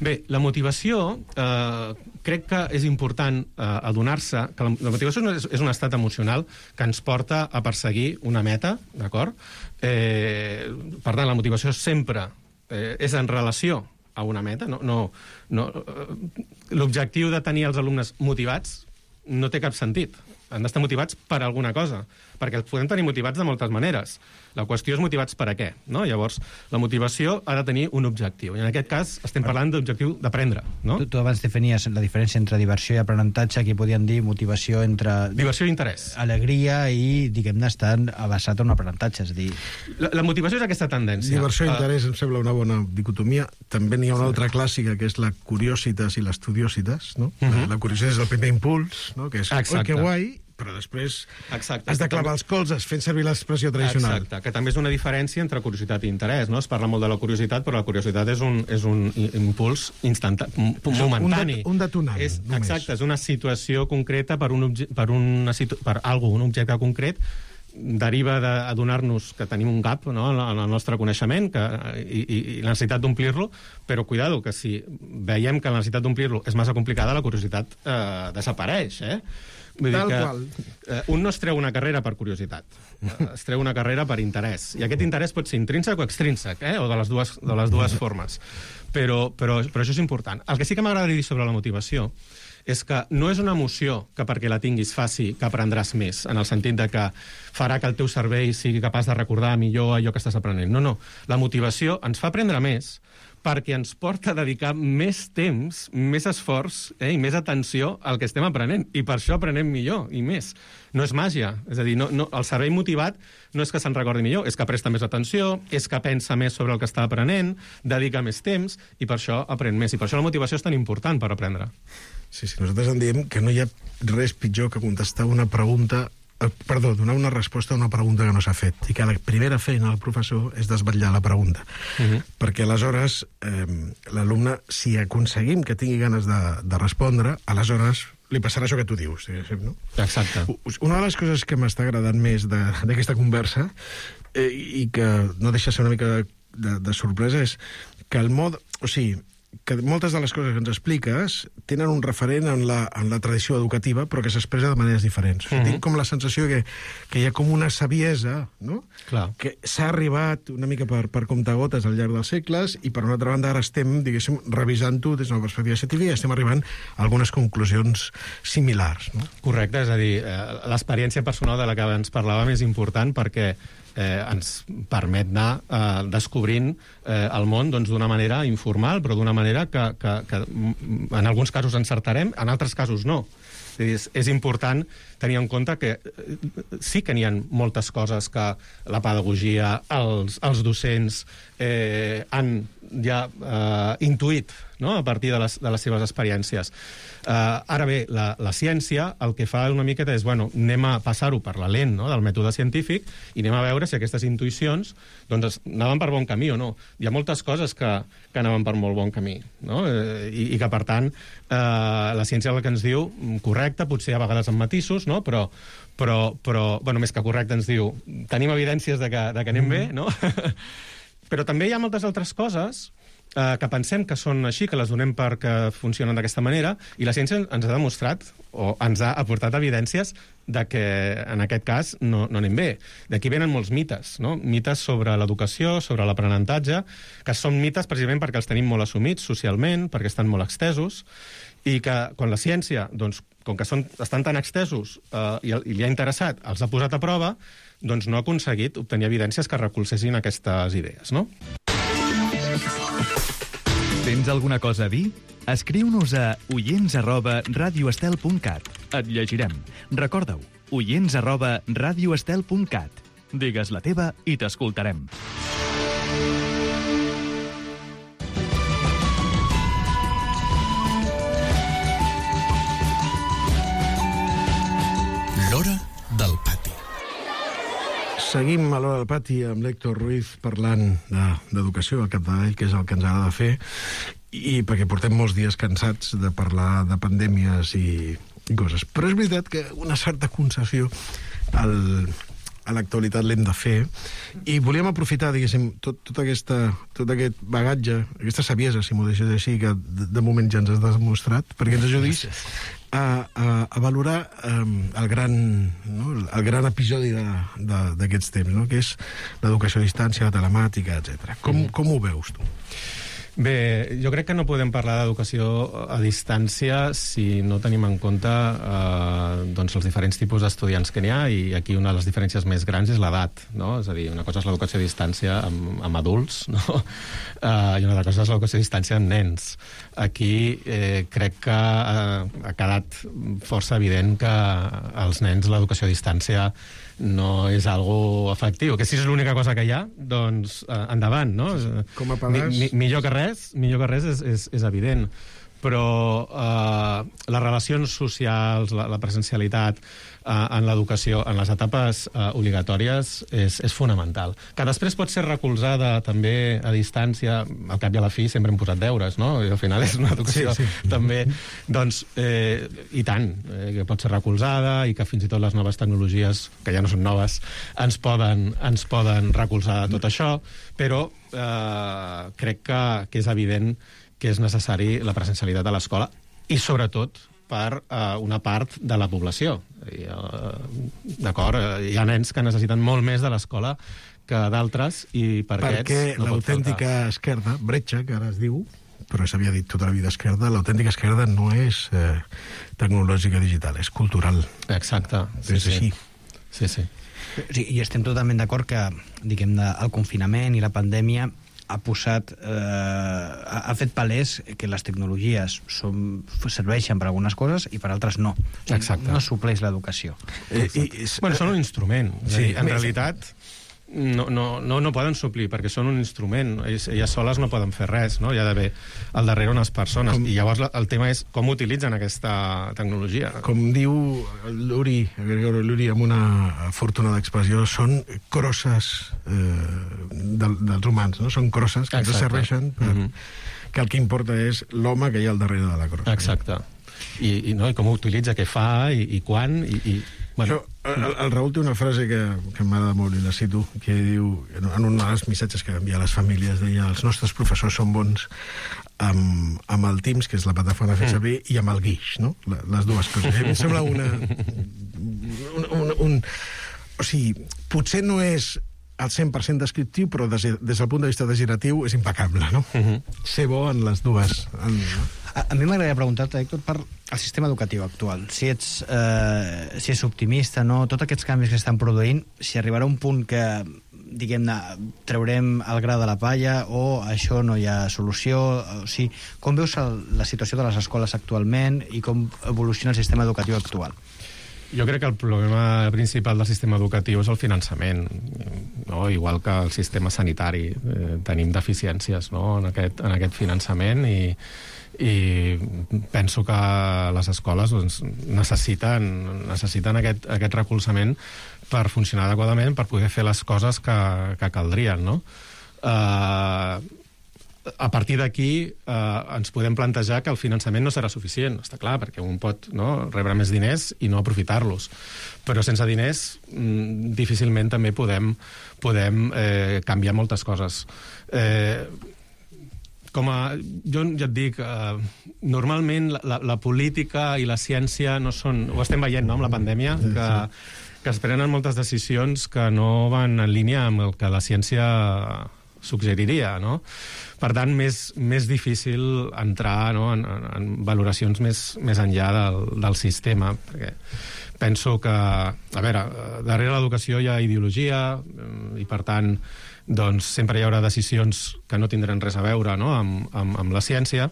Bé, la motivació eh, crec que és important eh, adonar-se que la, la motivació és, és un estat emocional que ens porta a perseguir una meta, d'acord? Eh, per tant, la motivació sempre eh, és en relació a una meta. No, no, no, l'objectiu de tenir els alumnes motivats no té cap sentit. Han d'estar motivats per alguna cosa, perquè els podem tenir motivats de moltes maneres. La qüestió és motivats per a què, no? Llavors, la motivació ha de tenir un objectiu, i en aquest cas estem parlant d'objectiu d'aprendre, no? Tu, tu abans definies la diferència entre diversió i aprenentatge, aquí podríem dir motivació entre... Diversió i interès. Alegria i, diguem-ne, estar basat en un aprenentatge, és a dir... La, la motivació és aquesta tendència. Diversió i interès em sembla una bona dicotomia. També n'hi ha una altra clàssica, que és la curiositas i l'estudiositas, no? Uh -huh. La curiositat és el primer impuls, no? Que és, oi, que guai, però després Exacte. has de clavar els colzes fent servir l'expressió tradicional. Exacte, que també és una diferència entre curiositat i interès, no? Es parla molt de la curiositat, però la curiositat és un, és un impuls instantani, momentani. Un, de, un detonant, és, exacte, és una situació concreta per, un obje, per, una situ, per algo, un objecte concret, deriva d'adonar-nos que tenim un gap, no?, en el nostre coneixement que, i, i, i la necessitat d'omplir-lo, però cuidado, que si veiem que la necessitat d'omplir-lo és massa complicada, la curiositat eh, desapareix, eh? Vull dir que eh, un no es treu una carrera per curiositat, eh, es treu una carrera per interès, i aquest interès pot ser intrínsec o extrínsec, eh? O de les dues, de les dues formes, però, però, però això és important. El que sí que m'agradaria dir sobre la motivació és que no és una emoció que perquè la tinguis faci que aprendràs més, en el sentit de que farà que el teu cervell sigui capaç de recordar millor allò que estàs aprenent. No, no. La motivació ens fa aprendre més perquè ens porta a dedicar més temps, més esforç eh, i més atenció al que estem aprenent. I per això aprenem millor i més. No és màgia. És a dir, no, no, el cervell motivat no és que se'n recordi millor, és que presta més atenció, és que pensa més sobre el que està aprenent, dedica més temps i per això aprèn més. I per això la motivació és tan important per aprendre. Sí, sí, nosaltres en diem que no hi ha res pitjor que contestar una pregunta, eh, perdó, donar una resposta a una pregunta que no s'ha fet, i que la primera feina del professor és desvetllar la pregunta. Uh-huh. Perquè aleshores eh, l'alumne, si aconseguim que tingui ganes de, de respondre, aleshores li passarà això que tu dius, diguéssim, no? Exacte. Una de les coses que m'està agradant més d'aquesta conversa eh, i que no deixa ser una mica de, de, de sorpresa és que el mod... O sigui, que moltes de les coses que ens expliques tenen un referent en la, en la tradició educativa, però que s'expressa de maneres diferents. Uh-huh. Tinc com la sensació que, que hi ha com una saviesa, no? Clar. Que s'ha arribat una mica per, per comptagotes al llarg dels segles, i per una altra banda ara estem, diguéssim, revisant-ho des d'una perspectiva científica i estem arribant a algunes conclusions similars, no? Correcte, és a dir, l'experiència personal de la que ens parlàvem és important perquè eh, ens permet anar eh, descobrint eh, el món doncs, d'una manera informal, però d'una manera que, que, que en alguns casos encertarem, en altres casos no. És, és important tenir en compte que sí que n'hi ha moltes coses que la pedagogia, els, els docents eh, han ja eh, intuït, no?, a partir de les, de les seves experiències. Eh, ara bé, la, la ciència el que fa una miqueta és, bueno, anem a passar-ho per la lent, no?, del mètode científic i anem a veure si aquestes intuïcions doncs, anaven per bon camí o no. Hi ha moltes coses que, que anaven per molt bon camí, no? Eh, i, i que, per tant, eh, la ciència el que ens diu, correcte, potser a vegades amb matisos, no?, però, però, però bueno, més que correcte ens diu, tenim evidències de que, de que anem bé, no? Però també hi ha moltes altres coses eh, que pensem que són així, que les donem perquè funcionen d'aquesta manera, i la ciència ens ha demostrat, o ens ha aportat evidències de que, en aquest cas, no, no anem bé. D'aquí venen molts mites, no? Mites sobre l'educació, sobre l'aprenentatge, que són mites precisament perquè els tenim molt assumits socialment, perquè estan molt extesos, i que quan la ciència, doncs, com que són, estan tan extesos eh, i, i li ha interessat, els ha posat a prova, doncs no ha aconseguit obtenir evidències que recolzessin aquestes idees, no? Tens alguna cosa a dir? Escriu-nos a oients arroba radioestel punt cat. Et llegirem. Recorda-ho, oients arroba radioestel punt cat. Digues la teva i t'escoltarem. L'hora del pati. Seguim a l'hora del pati amb l'Héctor Ruiz parlant d'educació al capdavall, que és el que ens agrada fer, i perquè portem molts dies cansats de parlar de pandèmies i, i coses. Però és veritat que una certa concessió al, a l'actualitat l'hem de fer, i volíem aprofitar, diguéssim, tot, tot, aquesta, tot aquest bagatge, aquesta saviesa, si m'ho deixes així, que de, de moment ja ens has demostrat, perquè ens ajudis a, a, a valorar um, el, gran, no, el gran episodi d'aquests temps, no? Que és l'educació a distància, la telemàtica, etcètera. Com, mm. com ho veus tu? Bé, jo crec que no podem parlar d'educació a distància si no tenim en compte eh, doncs els diferents tipus d'estudiants que n'hi ha, i aquí una de les diferències més grans és l'edat, no? És a dir, una cosa és l'educació a distància amb, amb adults, no? Eh, i una altra cosa és l'educació a distància amb nens. Aquí eh, crec que eh, ha quedat força evident que als nens l'educació a distància no és algo efectiu, que si és l'única cosa que hi ha, doncs eh, endavant, no? Com a pedaç... Mi, mi, millor que res, millor que res és, és, és evident, però eh, les relacions socials, la, la presencialitat eh, en l'educació, en les etapes eh, obligatòries, és, és fonamental. Que després pot ser recolzada també a distància, al cap i a la fi sempre hem posat deures, no? I al final és una educació sí, sí. també, doncs, eh, i tant, eh, que pot ser recolzada, i que fins i tot les noves tecnologies, que ja no són noves, ens poden, ens poden recolzar tot això, però eh, crec que, que és evident que és necessari la presencialitat a l'escola, i sobretot per uh, una part de la població. I, uh, d'acord, hi ha nens que necessiten molt més de l'escola que d'altres, i per Perquè aquests no l'autèntica esquerda, bretxa, que ara es diu, però s'havia dit tota la vida esquerda, l'autèntica esquerda no és eh, tecnològica digital, és cultural. Exacte. Sí, és sí. així. Sí, sí. Sí, i estem totalment d'acord que, diguem-ne, el confinament i la pandèmia ha posat, eh, ha, ha fet palès que les tecnologies són, serveixen per algunes coses i per altres no. Exacte. No supleix l'educació. Eh, i, bueno, són un instrument. Sí, en realitat no, no, no, no poden suplir, perquè són un instrument. Elles, elles soles no poden fer res, no? Hi ha d'haver al darrere unes persones. Com... I llavors el tema és com utilitzen aquesta tecnologia. Com diu l'Uri, l'Uri amb una afortunada expressió, són crosses eh, del, dels humans, no? Són crosses que ens serveixen per... Mm-hmm. que el que importa és l'home que hi ha al darrere de la crossa. Exacte. I, i, no, i com ho utilitza, què fa, i, i quan, i... i bueno. Això, el, el Raül té una frase que, que m'agrada molt, i la cito, que diu, en un dels missatges que envia a les famílies, deia, els nostres professors són bons amb, amb el Teams, que és la plataforma de fer servir, mm. i amb el Guix, no? Les dues coses. A mi em sembla una... Un, un, un, o sigui, potser no és al cent per cent descriptiu, però des, des del punt de vista degeneratiu és impecable, no? Mm-hmm. Ser bo en les dues... En, no? A, a mi m'agradaria preguntar-te, Héctor, per el sistema educatiu actual. Si ets, eh, si ets optimista, no? Tots aquests canvis que estan produint, si arribarà un punt que, diguem-ne, traurem el gra de la palla, o això no hi ha solució, o sigui, com veus el, la situació de les escoles actualment i com evoluciona el sistema educatiu actual? Jo crec que el problema principal del sistema educatiu és el finançament, no? Igual que el sistema sanitari. Eh, tenim deficiències, no? en, aquest, en aquest finançament, i, i penso que les escoles doncs, necessiten, necessiten aquest, aquest recolzament per funcionar adequadament, per poder fer les coses que, que caldrien, no? Eh... A partir d'aquí eh, ens podem plantejar que el finançament no serà suficient, està clar, perquè un pot, no, rebre més diners i no aprofitar-los. Però sense diners mm, difícilment també podem, podem eh, canviar moltes coses. Eh, com a... Jo ja et dic, eh, normalment la, la política i la ciència no són... Ho estem veient, no?, amb la pandèmia, que, que es prenen moltes decisions que no van en línia amb el que la ciència suggeriria, no? Per tant, més, més difícil entrar, no?, en, en valoracions més, més enllà del, del sistema, perquè penso que, a veure, darrere l'educació hi ha ideologia i, per tant, doncs sempre hi haurà decisions que no tindran res a veure, no?, amb, amb, amb la ciència.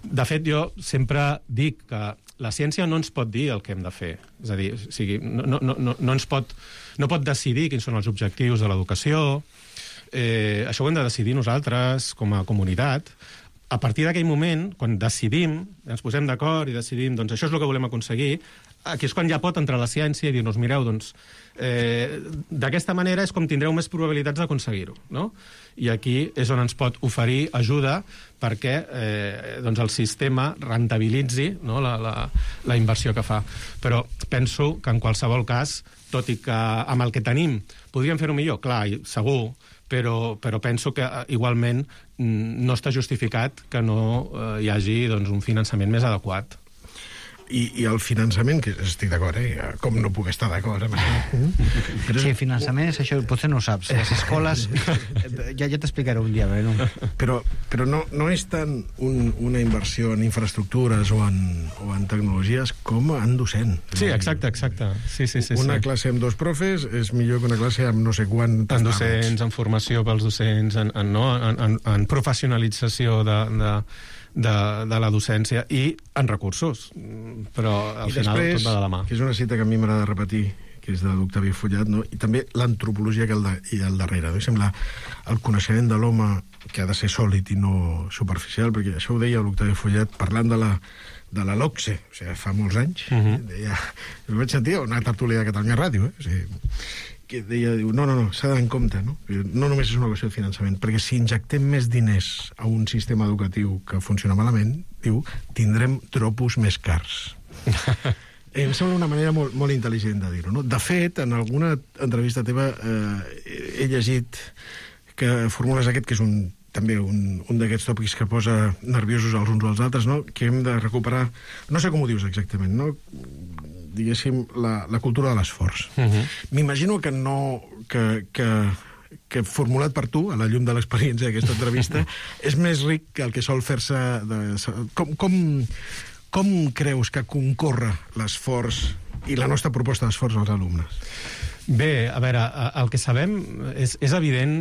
De fet, jo sempre dic que la ciència no ens pot dir el que hem de fer. És a dir, o sigui, no, no, no, no ens pot, no pot decidir quins són els objectius de l'educació. Eh, això ho hem de decidir nosaltres, com a comunitat. A partir d'aquell moment, quan decidim, ens posem d'acord i decidim, doncs això és el que volem aconseguir, aquí és quan ja pot entrar la ciència i dir-nos, mireu, doncs, eh, d'aquesta manera és com tindreu més probabilitats d'aconseguir-ho, no? I aquí és on ens pot oferir ajuda perquè eh, doncs el sistema rentabilitzi, no?, la, la, la inversió que fa. Però penso que en qualsevol cas, tot i que amb el que tenim podríem fer-ho millor, clar, segur, però, però penso que igualment no està justificat que no eh, hi hagi doncs, un finançament més adequat. I, i el finançament, que estic d'acord, eh? Com no puc estar d'acord amb això? Però sí, finançament és això, potser no ho saps. Les escoles, ja, ja t'explicaré un dia, no? Però, però no, no és tant un, una inversió en infraestructures o en, o en tecnologies com en docent. Sí, exacte, exacte. Sí, sí, sí, una sí. classe amb dos profes és millor que una classe amb no sé quantes... En docents, en formació pels docents, en, en, no? en, en, en professionalització de... de de, de la docència i en recursos, però al I final després, tot va de la mà. Que és una cita que a mi m'agrada repetir, que és de l'Octavi Follat, no? I també l'antropologia que hi ha al darrere. No? Sembla el coneixement de l'home que ha de ser sòlid i no superficial, perquè això ho deia l'Octavi Follat parlant de la de la LOCSE, o sigui, fa molts anys. Uh-huh. Deia, ho vaig sentir a una tertúlia de Catalunya Ràdio, eh? O sigui, que deia, diu, no, no, no, s'ha d'anar en compte, no? No només és una qüestió de finançament, perquè si injectem més diners a un sistema educatiu que funciona malament, diu, tindrem tropos més cars. Em sembla una manera molt, molt intel·ligent de dir-ho, no? De fet, en alguna entrevista teva eh, he llegit que formules aquest, que és un, també un, un d'aquests tòpics que posa nerviosos els uns als altres, no? Que hem de recuperar, no sé com ho dius exactament, no? Diguéssim, la, la cultura de l'esforç. Uh-huh. M'imagino que no... Que, que, que formulat per tu, a la llum de l'experiència d'aquesta entrevista, és més ric que el que sol fer-se... De, com, com, com creus que concorre l'esforç i la nostra proposta d'esforç als alumnes? Bé, a veure, el que sabem és, és evident,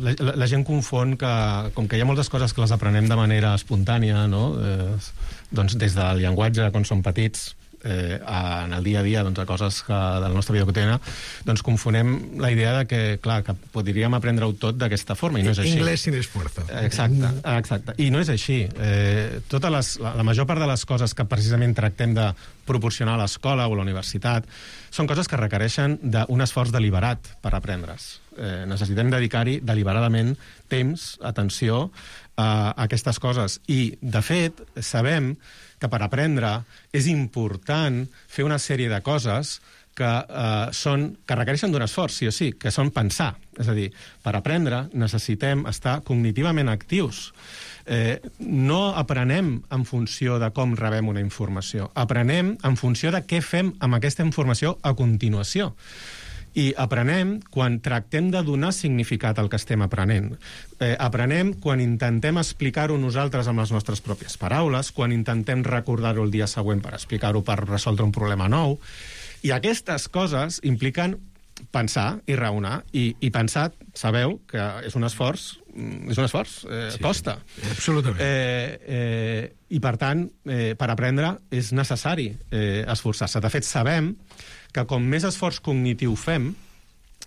la, la, la gent confon que, com que hi ha moltes coses que les aprenem de manera espontània, no? Eh, doncs des del llenguatge, quan som petits, eh, en el dia a dia, doncs, a coses que, de la nostra vida quotidiana, doncs confonem la idea de que, clar, que podríem aprendre-ho tot d'aquesta forma, i no és així. Inglés sin esfuerzo. Exacte, exacte. I no és així. Eh, totes les, la, la major part de les coses que precisament tractem de proporcionar a l'escola o a la universitat són coses que requereixen d'un esforç deliberat per aprendre's. Eh, necessitem dedicar-hi deliberadament temps, atenció a aquestes coses. I, de fet, sabem que per aprendre és important fer una sèrie de coses que, eh, són, que requereixen d'un esforç, sí o sí, que són pensar. És a dir, per aprendre necessitem estar cognitivament actius. Eh, no aprenem en funció de com rebem una informació. Aprenem en funció de què fem amb aquesta informació a continuació. I aprenem quan tractem de donar significat al que estem aprenent. Eh, aprenem quan intentem explicar-ho nosaltres amb les nostres pròpies paraules, quan intentem recordar-ho el dia següent per explicar-ho, per resoldre un problema nou. I aquestes coses impliquen pensar i raonar. I, i pensar, sabeu, que és un esforç, és un esforç, eh, sí, costa. Absolutament. Eh, eh, I, per tant, eh, per aprendre és necessari eh, esforçar-se. De fet, sabem que com més esforç cognitiu fem,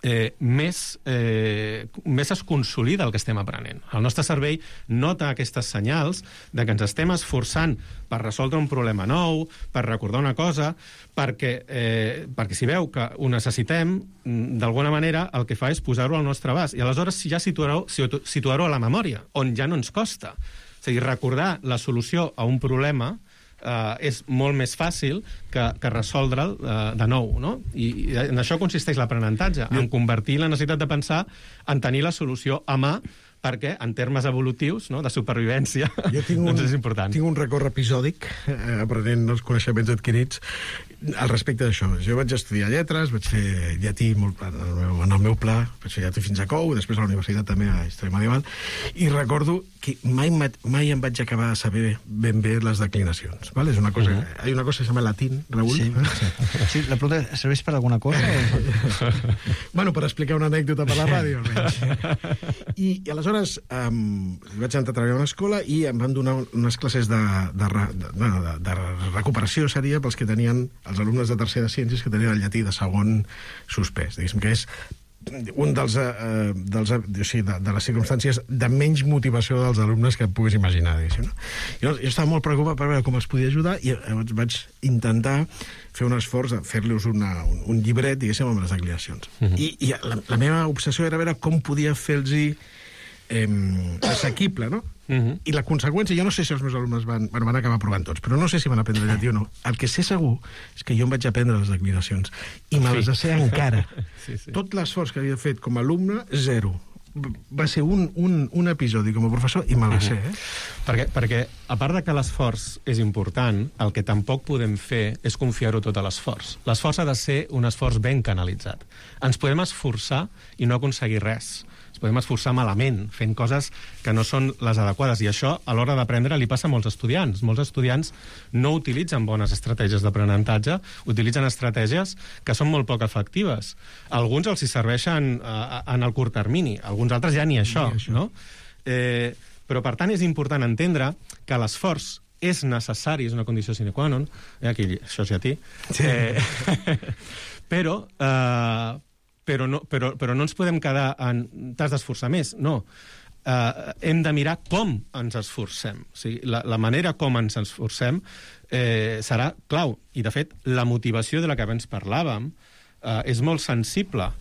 eh, més, eh, més es consolida el que estem aprenent. El nostre cervell nota aquestes senyals de que ens estem esforçant per resoldre un problema nou, per recordar una cosa, perquè, eh, perquè si veu que ho necessitem, d'alguna manera el que fa és posar-ho al nostre abast. I aleshores ja situar-ho situar-ho a la memòria, on ja no ens costa. És a dir, recordar la solució a un problema Uh, és molt més fàcil que, que resoldre'l uh, de nou, no? I, I en això consisteix l'aprenentatge, en convertir la necessitat de pensar en tenir la solució a mà perquè en termes evolutius, no?, de supervivència, jo tinc un, doncs és important. Tinc un record episòdic, eh, aprenent els coneixements adquirits, al respecte d'això. Jo vaig estudiar lletres, vaig fer llatí molt, en, el meu, en el meu pla, vaig fer llatí fins a Cou, després a la universitat també a Història Medieval, i recordo que mai, mai em vaig acabar de saber ben bé les declinacions. ¿Vale? És una cosa, uh -huh. Hay una cosa que se llama latín, Raúl. Sí, sí. Sí, la pregunta, ¿serveix per alguna cosa? O... bueno, per explicar una anècdota per la ràdio, almenys. I, i aleshores um, vaig entrar a treballar a una escola i em van donar unes classes de, de, de, de, de recuperació, seria, pels que tenien, els alumnes de tercer de ciències, que tenien el llatí de segon suspès. Diguéssim que és un dels, eh, dels o sigui, de, de les circumstàncies de menys motivació dels alumnes que et puguis imaginar, diguéssim, no? Jo, jo estava molt preocupat per veure com els podia ajudar i llavors vaig intentar fer un esforç de fer-los un, un llibret, diguéssim, amb les declinacions. Uh -huh. I, i la, la meva obsessió era veure com podia fer-los eh, assequible, no? Uh -huh. I la conseqüència, jo no sé si els meus alumnes van, bueno, van acabar provant tots, però no sé si van aprendre llatí o no. El que sé segur és que jo em vaig aprendre les declinacions i me les sé encara. Sí, sí. Tot l'esforç que havia fet com a alumne, zero. Va ser un, un, un episodi com a professor i me la sé, eh? Perquè, perquè, a part de que l'esforç és important, el que tampoc podem fer és confiar-ho tot a l'esforç. L'esforç ha de ser un esforç ben canalitzat. Ens podem esforçar i no aconseguir res. Ens podem esforçar malament, fent coses que no són les adequades, i això, a l'hora d'aprendre, li passa a molts estudiants. Molts estudiants no utilitzen bones estratègies d'aprenentatge, utilitzen estratègies que són molt poc efectives. Alguns els hi serveixen eh, en el curt termini, alguns altres ja ni això, ni això. No? Eh, però, per tant, és important entendre que l'esforç és necessari, és una condició sine qua non, eh, aquí, això és llatí, sí. eh, però... Eh, Però no, però, però no ens podem quedar en t'has d'esforçar més, no. Uh, hem de mirar com ens esforcem. O sigui, la, la manera com ens esforcem eh, serà clau. I, de fet, la motivació de la que abans parlàvem uh, és molt sensible a,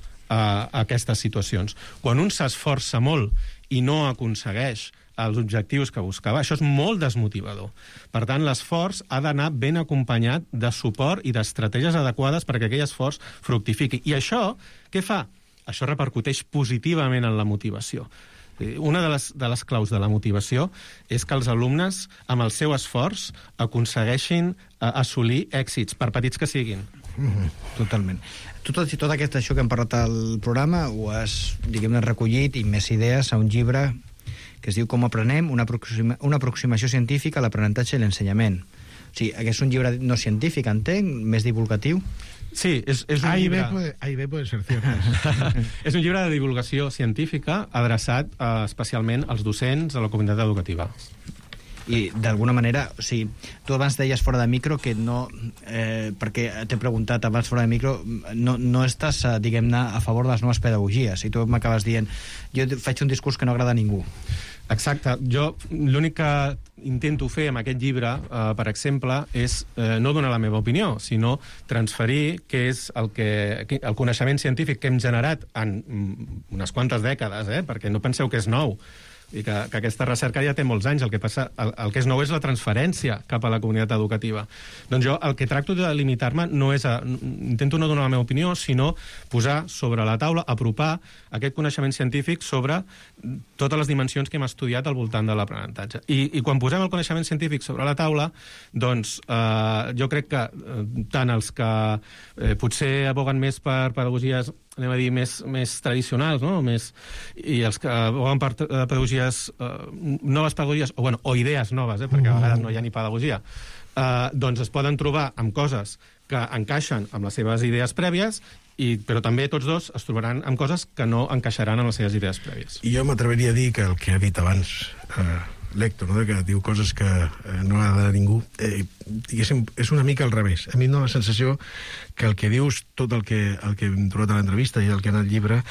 a aquestes situacions. Quan un s'esforça molt i no aconsegueix els objectius que buscava, això és molt desmotivador. Per tant, l'esforç ha d'anar ben acompanyat de suport i d'estratègies adequades perquè aquell esforç fructifiqui. I això, què fa? Això repercuteix positivament en la motivació. Una de les, de les claus de la motivació és que els alumnes, amb el seu esforç, aconsegueixin assolir èxits, per petits que siguin. Mm-hmm. Totalment. Tu tot i tot aquest això que hem parlat al programa ho has, diguem-ne, recollit i més idees a un llibre que es diu Com aprenem, una, aproxima, una aproximació científica a l'aprenentatge i l'ensenyament. O sigui, aquest és un llibre no científic, entenc, més divulgatiu? Sí, és, és un ahí llibre... Ve puede, ahí ve puede ser cierto. És un llibre de divulgació científica adreçat eh, especialment als docents, a la comunitat educativa. I d'alguna manera, o sigui, tu abans deies fora de micro que no, eh, perquè t'he preguntat abans fora de micro, no, no estàs, diguem-ne, a favor de les noves pedagogies, i tu m'acabes dient, jo faig un discurs que no agrada a ningú. Exacte. Jo l'únic que intento fer amb aquest llibre, eh, per exemple, és eh, no donar la meva opinió, sinó transferir què és el, que, el coneixement científic que hem generat en unes quantes dècades, eh, perquè no penseu que és nou, i que, que aquesta recerca ja té molts anys. El que passa, el, el que és nou és la transferència cap a la comunitat educativa. Doncs jo el que tracto de limitar-me no és a, intento no donar la meva opinió, sinó posar sobre la taula, apropar aquest coneixement científic sobre totes les dimensions que hem estudiat al voltant de l'aprenentatge. I, i quan posem el coneixement científic sobre la taula, doncs eh, jo crec que eh, tant els que eh, potser aboguen més per pedagogies, anem a dir, més, més tradicionals, no? Més, i els que aboguen per pedagogies, eh, noves pedagogies, o, bueno, o idees noves, eh, perquè a vegades no hi ha ni pedagogia, eh, doncs es poden trobar amb coses que encaixen amb les seves idees prèvies, i, però també tots dos es trobaran amb coses que no encaixaran amb les seves idees prèvies. I jo m'atreveria a dir que el que ha dit abans eh, l'Héctor, no? Que diu coses que eh, no agrada a ningú, eh, diguéssim, és una mica al revés. A mi em dóna la sensació que el que dius, tot el que, el que hem trobat a l'entrevista i el que ha anat al llibre,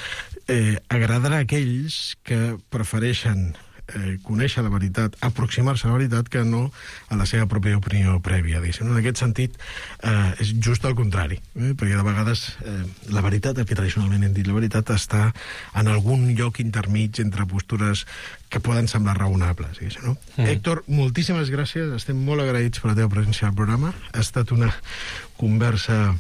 eh, agradarà a aquells que prefereixen eh, conèixer la veritat, aproximar-se a la veritat, que no a la seva pròpia opinió prèvia. Diguéssim. En aquest sentit, eh, és just el contrari, eh? Perquè de vegades eh, la veritat, el que tradicionalment hem dit, la veritat està en algun lloc intermig entre postures que poden semblar raonables. No? Mm. Héctor, moltíssimes gràcies, estem molt agraïts per la teva presència al programa. Ha estat una conversa...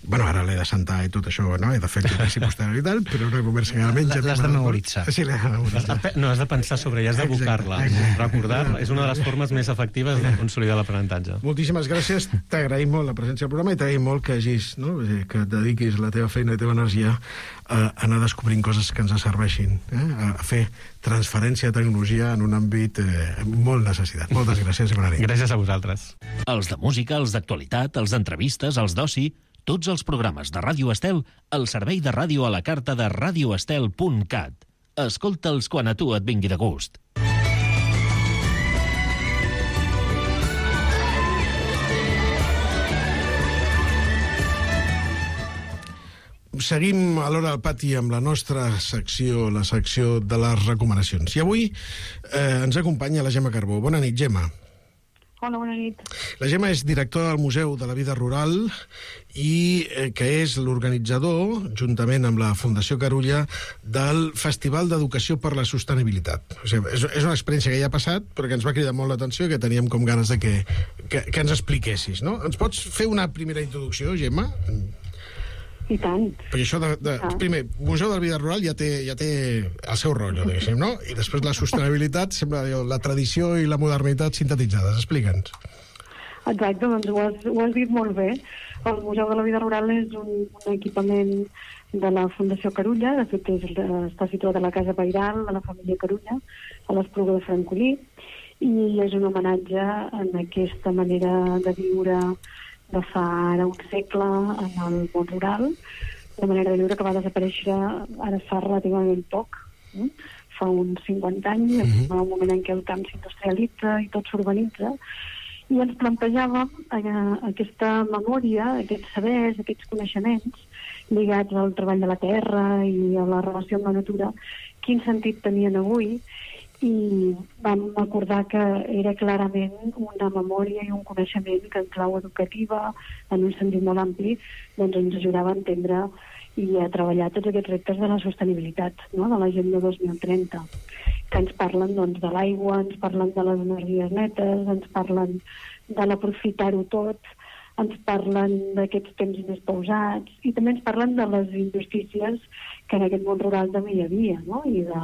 Bueno, ara l'he de sentar i tot això, no? He de fer activitat posterior i tal, però una conversa que almenys... L'has de memoritzar. Sí, l'he de memoritzar. No, has de pensar sobre ella, has d'evocar-la. Recordar-la és una de les formes més efectives de consolidar l'aprenentatge. Moltíssimes gràcies, t'agraïm molt la presència al programa i t'agraïm molt que hagis, no? que et dediquis la teva feina i la teva energia a anar descobrint coses que ens serveixin, eh? a fer transferència de tecnologia en un àmbit eh, molt necessitat. Moltes gràcies i bona nit. Gràcies a vosaltres. Els de música, els d'actualitat, els d'entrevistes, els d'oci, tots els programes de Ràdio Estel al servei de ràdio a la carta de radio estel punt cat. Escolta'ls quan a tu et vingui de gust. Seguim a l'Hora del Pati amb la nostra secció, la secció de les recomanacions. I avui eh, ens acompanya la Gemma Carbó. Bona nit, Gemma. Hola, bona nit. La Gemma és directora del Museu de la Vida Rural i eh, que és l'organitzador, juntament amb la Fundació Carulla, del Festival d'Educació per la Sostenibilitat. O sigui, és, és una experiència que ja ha passat, però que ens va cridar molt l'atenció i que teníem com ganes de que, que, que ens expliquessis, no? Ens pots fer una primera introducció, Gemma? I tant. Perquè això, de, de, ah. primer, Museu de la Vida Rural ja té, ja té el seu rotllo, diguéssim, no? I després la sostenibilitat sembla la tradició i la modernitat sintetitzades. Explica'ns. Exacte, doncs ho has, ho has dit molt bé. El Museu de la Vida Rural és un, un equipament de la Fundació Carulla, de fet és, està situat a la Casa Pairal de la família Carulla, a l'Espluga de Francolí, i és un homenatge en aquesta manera de viure de fa ara un segle en el món rural, una manera de viure que va desaparèixer ara fa relativament poc, eh? Fa uns cinquanta anys, mm-hmm. en un moment en què el camp s'industrialitza i tot s'urbanitza, i ens plantejàvem eh, aquesta memòria, aquests sabers, aquests coneixements lligats al treball de la terra i a la relació amb la natura, quin sentit tenien avui, i vam acordar que era clarament una memòria i un coneixement que en clau educativa, en un sentit molt ampli, doncs ens ajudava a entendre i a treballar tots aquests reptes de la sostenibilitat, no? De l'Agenda dos mil trenta, que ens parlen doncs, de l'aigua, ens parlen de les energies netes, ens parlen de l'aprofitar-ho tot, ens parlen d'aquests temps més pausats i també ens parlen de les injustícies que en aquest món rural també hi havia, no? I de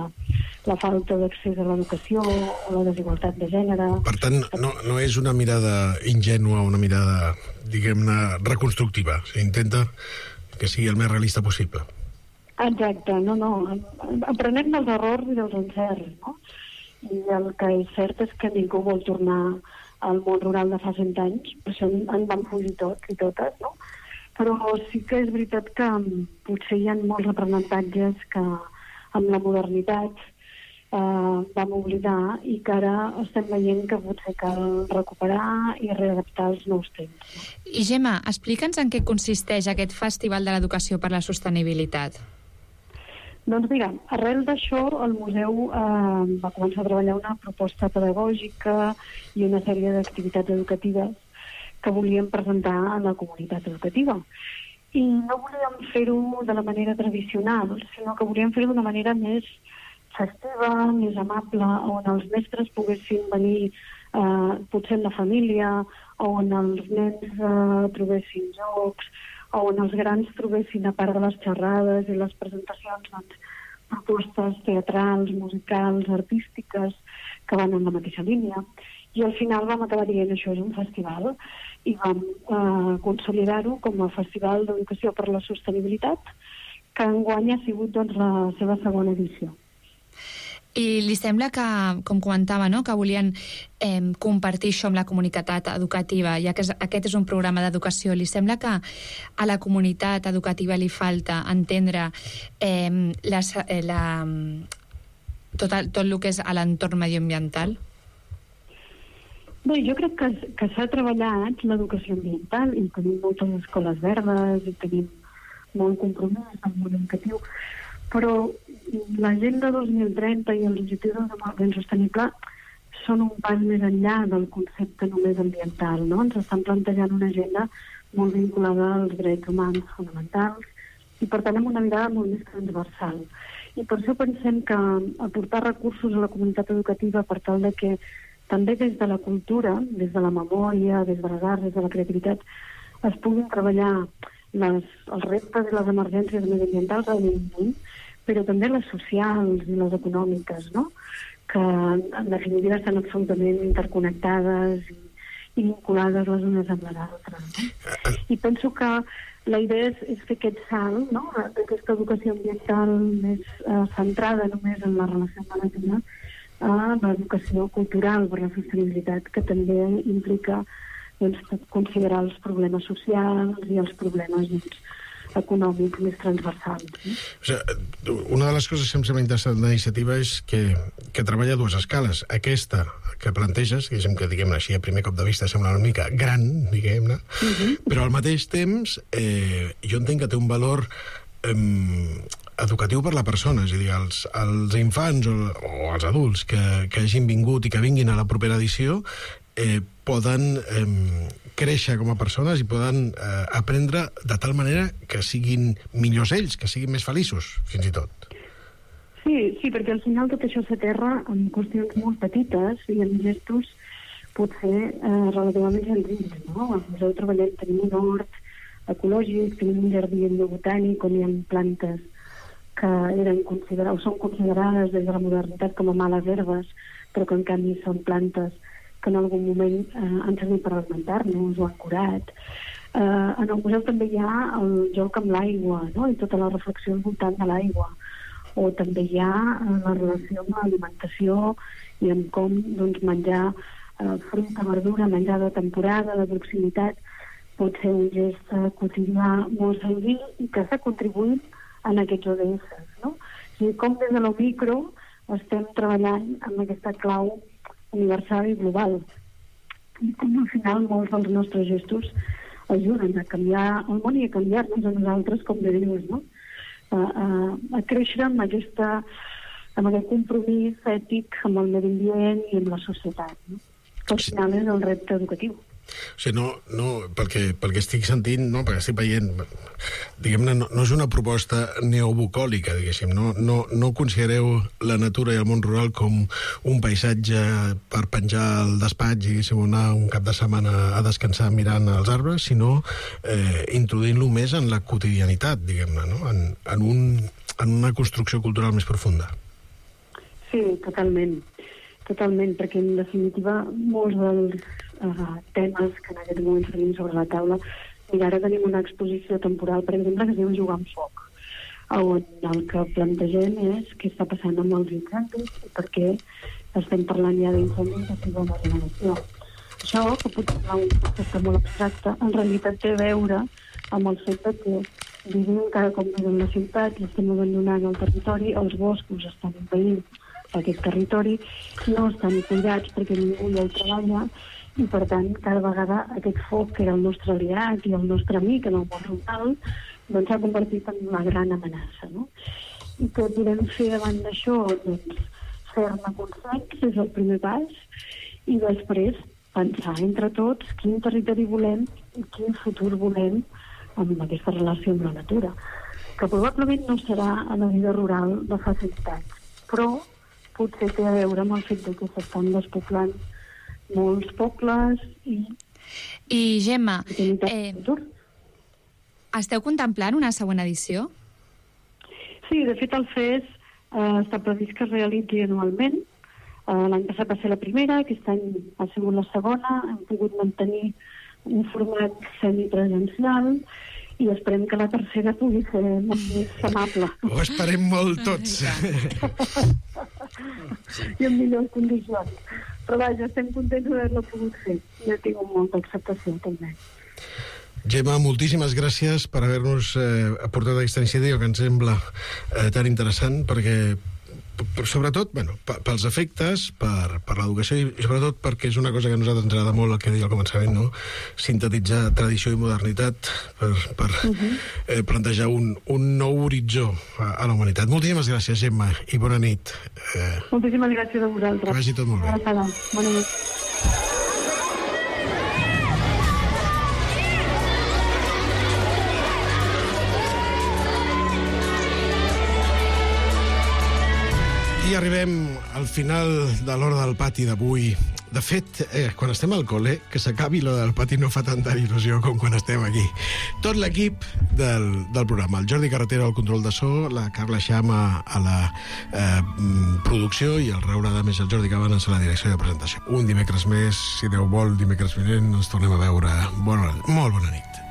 la falta d'accés a l'educació o la desigualtat de gènere. Per tant, no, no és una mirada ingènua, una mirada, diguem-ne, reconstructiva. O sigui, intenta que sigui el més realista possible. Exacte, no, no. Aprenem dels errors i dels encerts, no? I el que és cert és que ningú vol tornar al món rural de fa cent anys, per això en van fugir tots i totes, no? Però sí que és veritat que potser hi ha molts aprenentatges que amb la modernitat eh, vam oblidar i que ara estem veient que potser cal recuperar i readaptar els nous temps. I Gemma, explica'ns en què consisteix aquest Festival de l'Educació per la Sostenibilitat. Doncs mira, arrel d'això el museu eh, va començar a treballar una proposta pedagògica i una sèrie d'activitats educatives que volíem presentar a la comunitat educativa. I no volíem fer-ho de la manera tradicional, sinó que volíem fer-ho d'una manera més festiva, més amable, on els mestres poguessin venir eh, potser en la família, on els nens eh, trobessin jocs, on els grans trobessin, a part de les xerrades i les presentacions, doncs, propostes teatrals, musicals, artístiques, que van en la mateixa línia. I al final vam acabar dient això és un festival i vam eh, consolidar-ho com a Festival d'Educació per la Sostenibilitat, que enguany ha sigut doncs, la seva segona edició. I li sembla que, com comentava, no? que volien eh, compartir això amb la comunitat educativa, ja que és, aquest és un programa d'educació. Li sembla que a la comunitat educativa li falta entendre eh, la, la, tot, el, tot el que és a l'entorn medioambiental? Bé, jo crec que, que s'ha treballat l'educació ambiental i tenim moltes escoles verdes i tenim molt compromís amb el educatiu, però l'Agenda dos mil trenta i els objectius de desenvolupament sostenible són un pas més enllà del concepte només ambiental, no? Ens estan plantejant una agenda molt vinculada als drets humans fonamentals i, per tant, amb una mirada molt més transversal. I per això pensem que aportar recursos a la comunitat educativa per tal de que també des de la cultura, des de la memòria, des de les arts, des de la creativitat, es puguin treballar les, els reptes i les emergències mediambientals, evidentment, però també les socials i les econòmiques, no? Que en definitiva estan absolutament interconnectades i, i vinculades les unes amb les altres. No? I penso que la idea és, és fer aquest salt, no? D'aquesta educació ambiental més eh, centrada només en la relació amb la natura, a l'educació cultural per la sostenibilitat, que també implica doncs, considerar els problemes socials i els problemes doncs, econòmics més transversals. No? O sigui, una de les coses que em sembla interessant de la iniciativa és que, que treballa a dues escales. Aquesta que planteges, diguéssim que diguem-ne així a primer cop de vista sembla una mica gran, diguem-ne, uh-huh. però al mateix temps eh, jo entenc que té un valor eh, educatiu per la persona, és a dir, els, els infants o, o els adults que, que hagin vingut i que vinguin a la propera edició eh, poden eh, créixer com a persones i poden eh, aprendre de tal manera que siguin millors ells, que siguin més feliços, fins i tot. Sí, sí, perquè al final tot això s'aterra en qüestions molt petites i en gestos potser eh, relativament senzills, no? Al museu treballem, tenim un hort ecològic, tenim un jardí botànic on hi ha plantes que eren considerades, o són considerades des de la modernitat com a males herbes, però que en canvi són plantes que en algun moment eh, han servit per alimentar-nos o han curat. Eh, en el museu també hi ha el joc amb l'aigua, no? I tota la reflexió al voltant de l'aigua. O també hi ha eh, la relació amb l'alimentació i amb com doncs, menjar eh, fruita, verdura, menjar de temporada, de proximitat, pot ser un gest eh, quotidià molt senzill i que està contribuint en aquests O D S, no? O sigui, com des de lo micro estem treballant amb aquesta clau universal i global. I com al final molts dels nostres gestos ajuden a canviar el món i a canviar-nos a nosaltres, com bé dius, no? A, a, a créixer amb, aquesta, amb aquest compromís ètic amb el medi ambient i amb la societat, no? Que al final és el repte educatiu. O sigui, no, no, pel que, pel que estic sentint, no, perquè estic veient, diguem-ne, no, no és una proposta neobucòlica, diguéssim, no, no, no considereu la natura i el món rural com un paisatge per penjar al despatx, diguéssim, anar un cap de setmana a descansar mirant els arbres, sinó eh, introduint-lo més en la quotidianitat, diguem-ne, no? en, en, un, en una construcció cultural més profunda. Sí, totalment. Totalment, perquè en definitiva molts dels uh, temes que en aquest moment tenim sobre la taula, mira, ara tenim una exposició temporal, per exemple, que es diu Jugar amb foc, on el que plantegem és què està passant amb els incendis i per què estem parlant ja d'incendis de segona generació. Això, que pot semblar un concepte molt abstracte, en realitat té a veure amb el fet que vivim cada cop més en la ciutat i estem abandonant el territori, els boscos estan envaint aquest territori, no estan cuidats perquè ningú hi treballa i per tant cada vegada aquest foc que era el nostre aliat i el nostre amic en el món rural doncs s'ha convertit en una gran amenaça, no? I què podem fer davant d'això? Doncs fer-ne consens és el primer pas i després pensar entre tots quin territori volem i quin futur volem amb aquesta relació amb la natura, que probablement no serà a la vida rural de fa cent anys, però potser té a veure amb el fet que s'estan despoblant molts pobles i... I, Gemma, eh, esteu contemplant una següent edició? Sí, de fet el F E S eh, està previst que es realitzi anualment. Eh, L'any passat va ser la primera, aquest any ha sigut la segona, hem pogut mantenir un format semipresencial i esperem que la tercera pugui ser molt més amable. Ho esperem molt tots. I en millors condicions. Però vaja, estem contents d'haver-lo pogut fer. I ha tingut molta acceptació, també. Gemma, moltíssimes gràcies per haver-nos eh, aportat aquesta iniciativa que ens sembla eh, tan interessant, perquè sobretot, bueno, pels efectes, per, per l'educació i sobretot perquè és una cosa que a nosaltres ens agrada molt, el que deia al començament, no? Sintetitzar tradició i modernitat per, per uh-huh. eh, plantejar un, un nou horitzó a, a la humanitat. Moltíssimes gràcies, Gemma, i bona nit. Eh... Moltíssimes gràcies a vosaltres. Que vagi tot molt bé. Bona nit. Aquí arribem al final de l'hora del pati d'avui. De fet, eh, quan estem al col·le, que s'acabi l'hora del pati no fa tanta il·lusió com quan estem aquí. Tot l'equip del, del programa. El Jordi Carretero al control de so, la Carla Xama a la eh, producció i el Raül Adames i el Jordi Cabanes a la direcció de presentació. Un dimecres més, si Déu vol, dimecres vinent, ens tornem a veure. Bona, molt bona nit.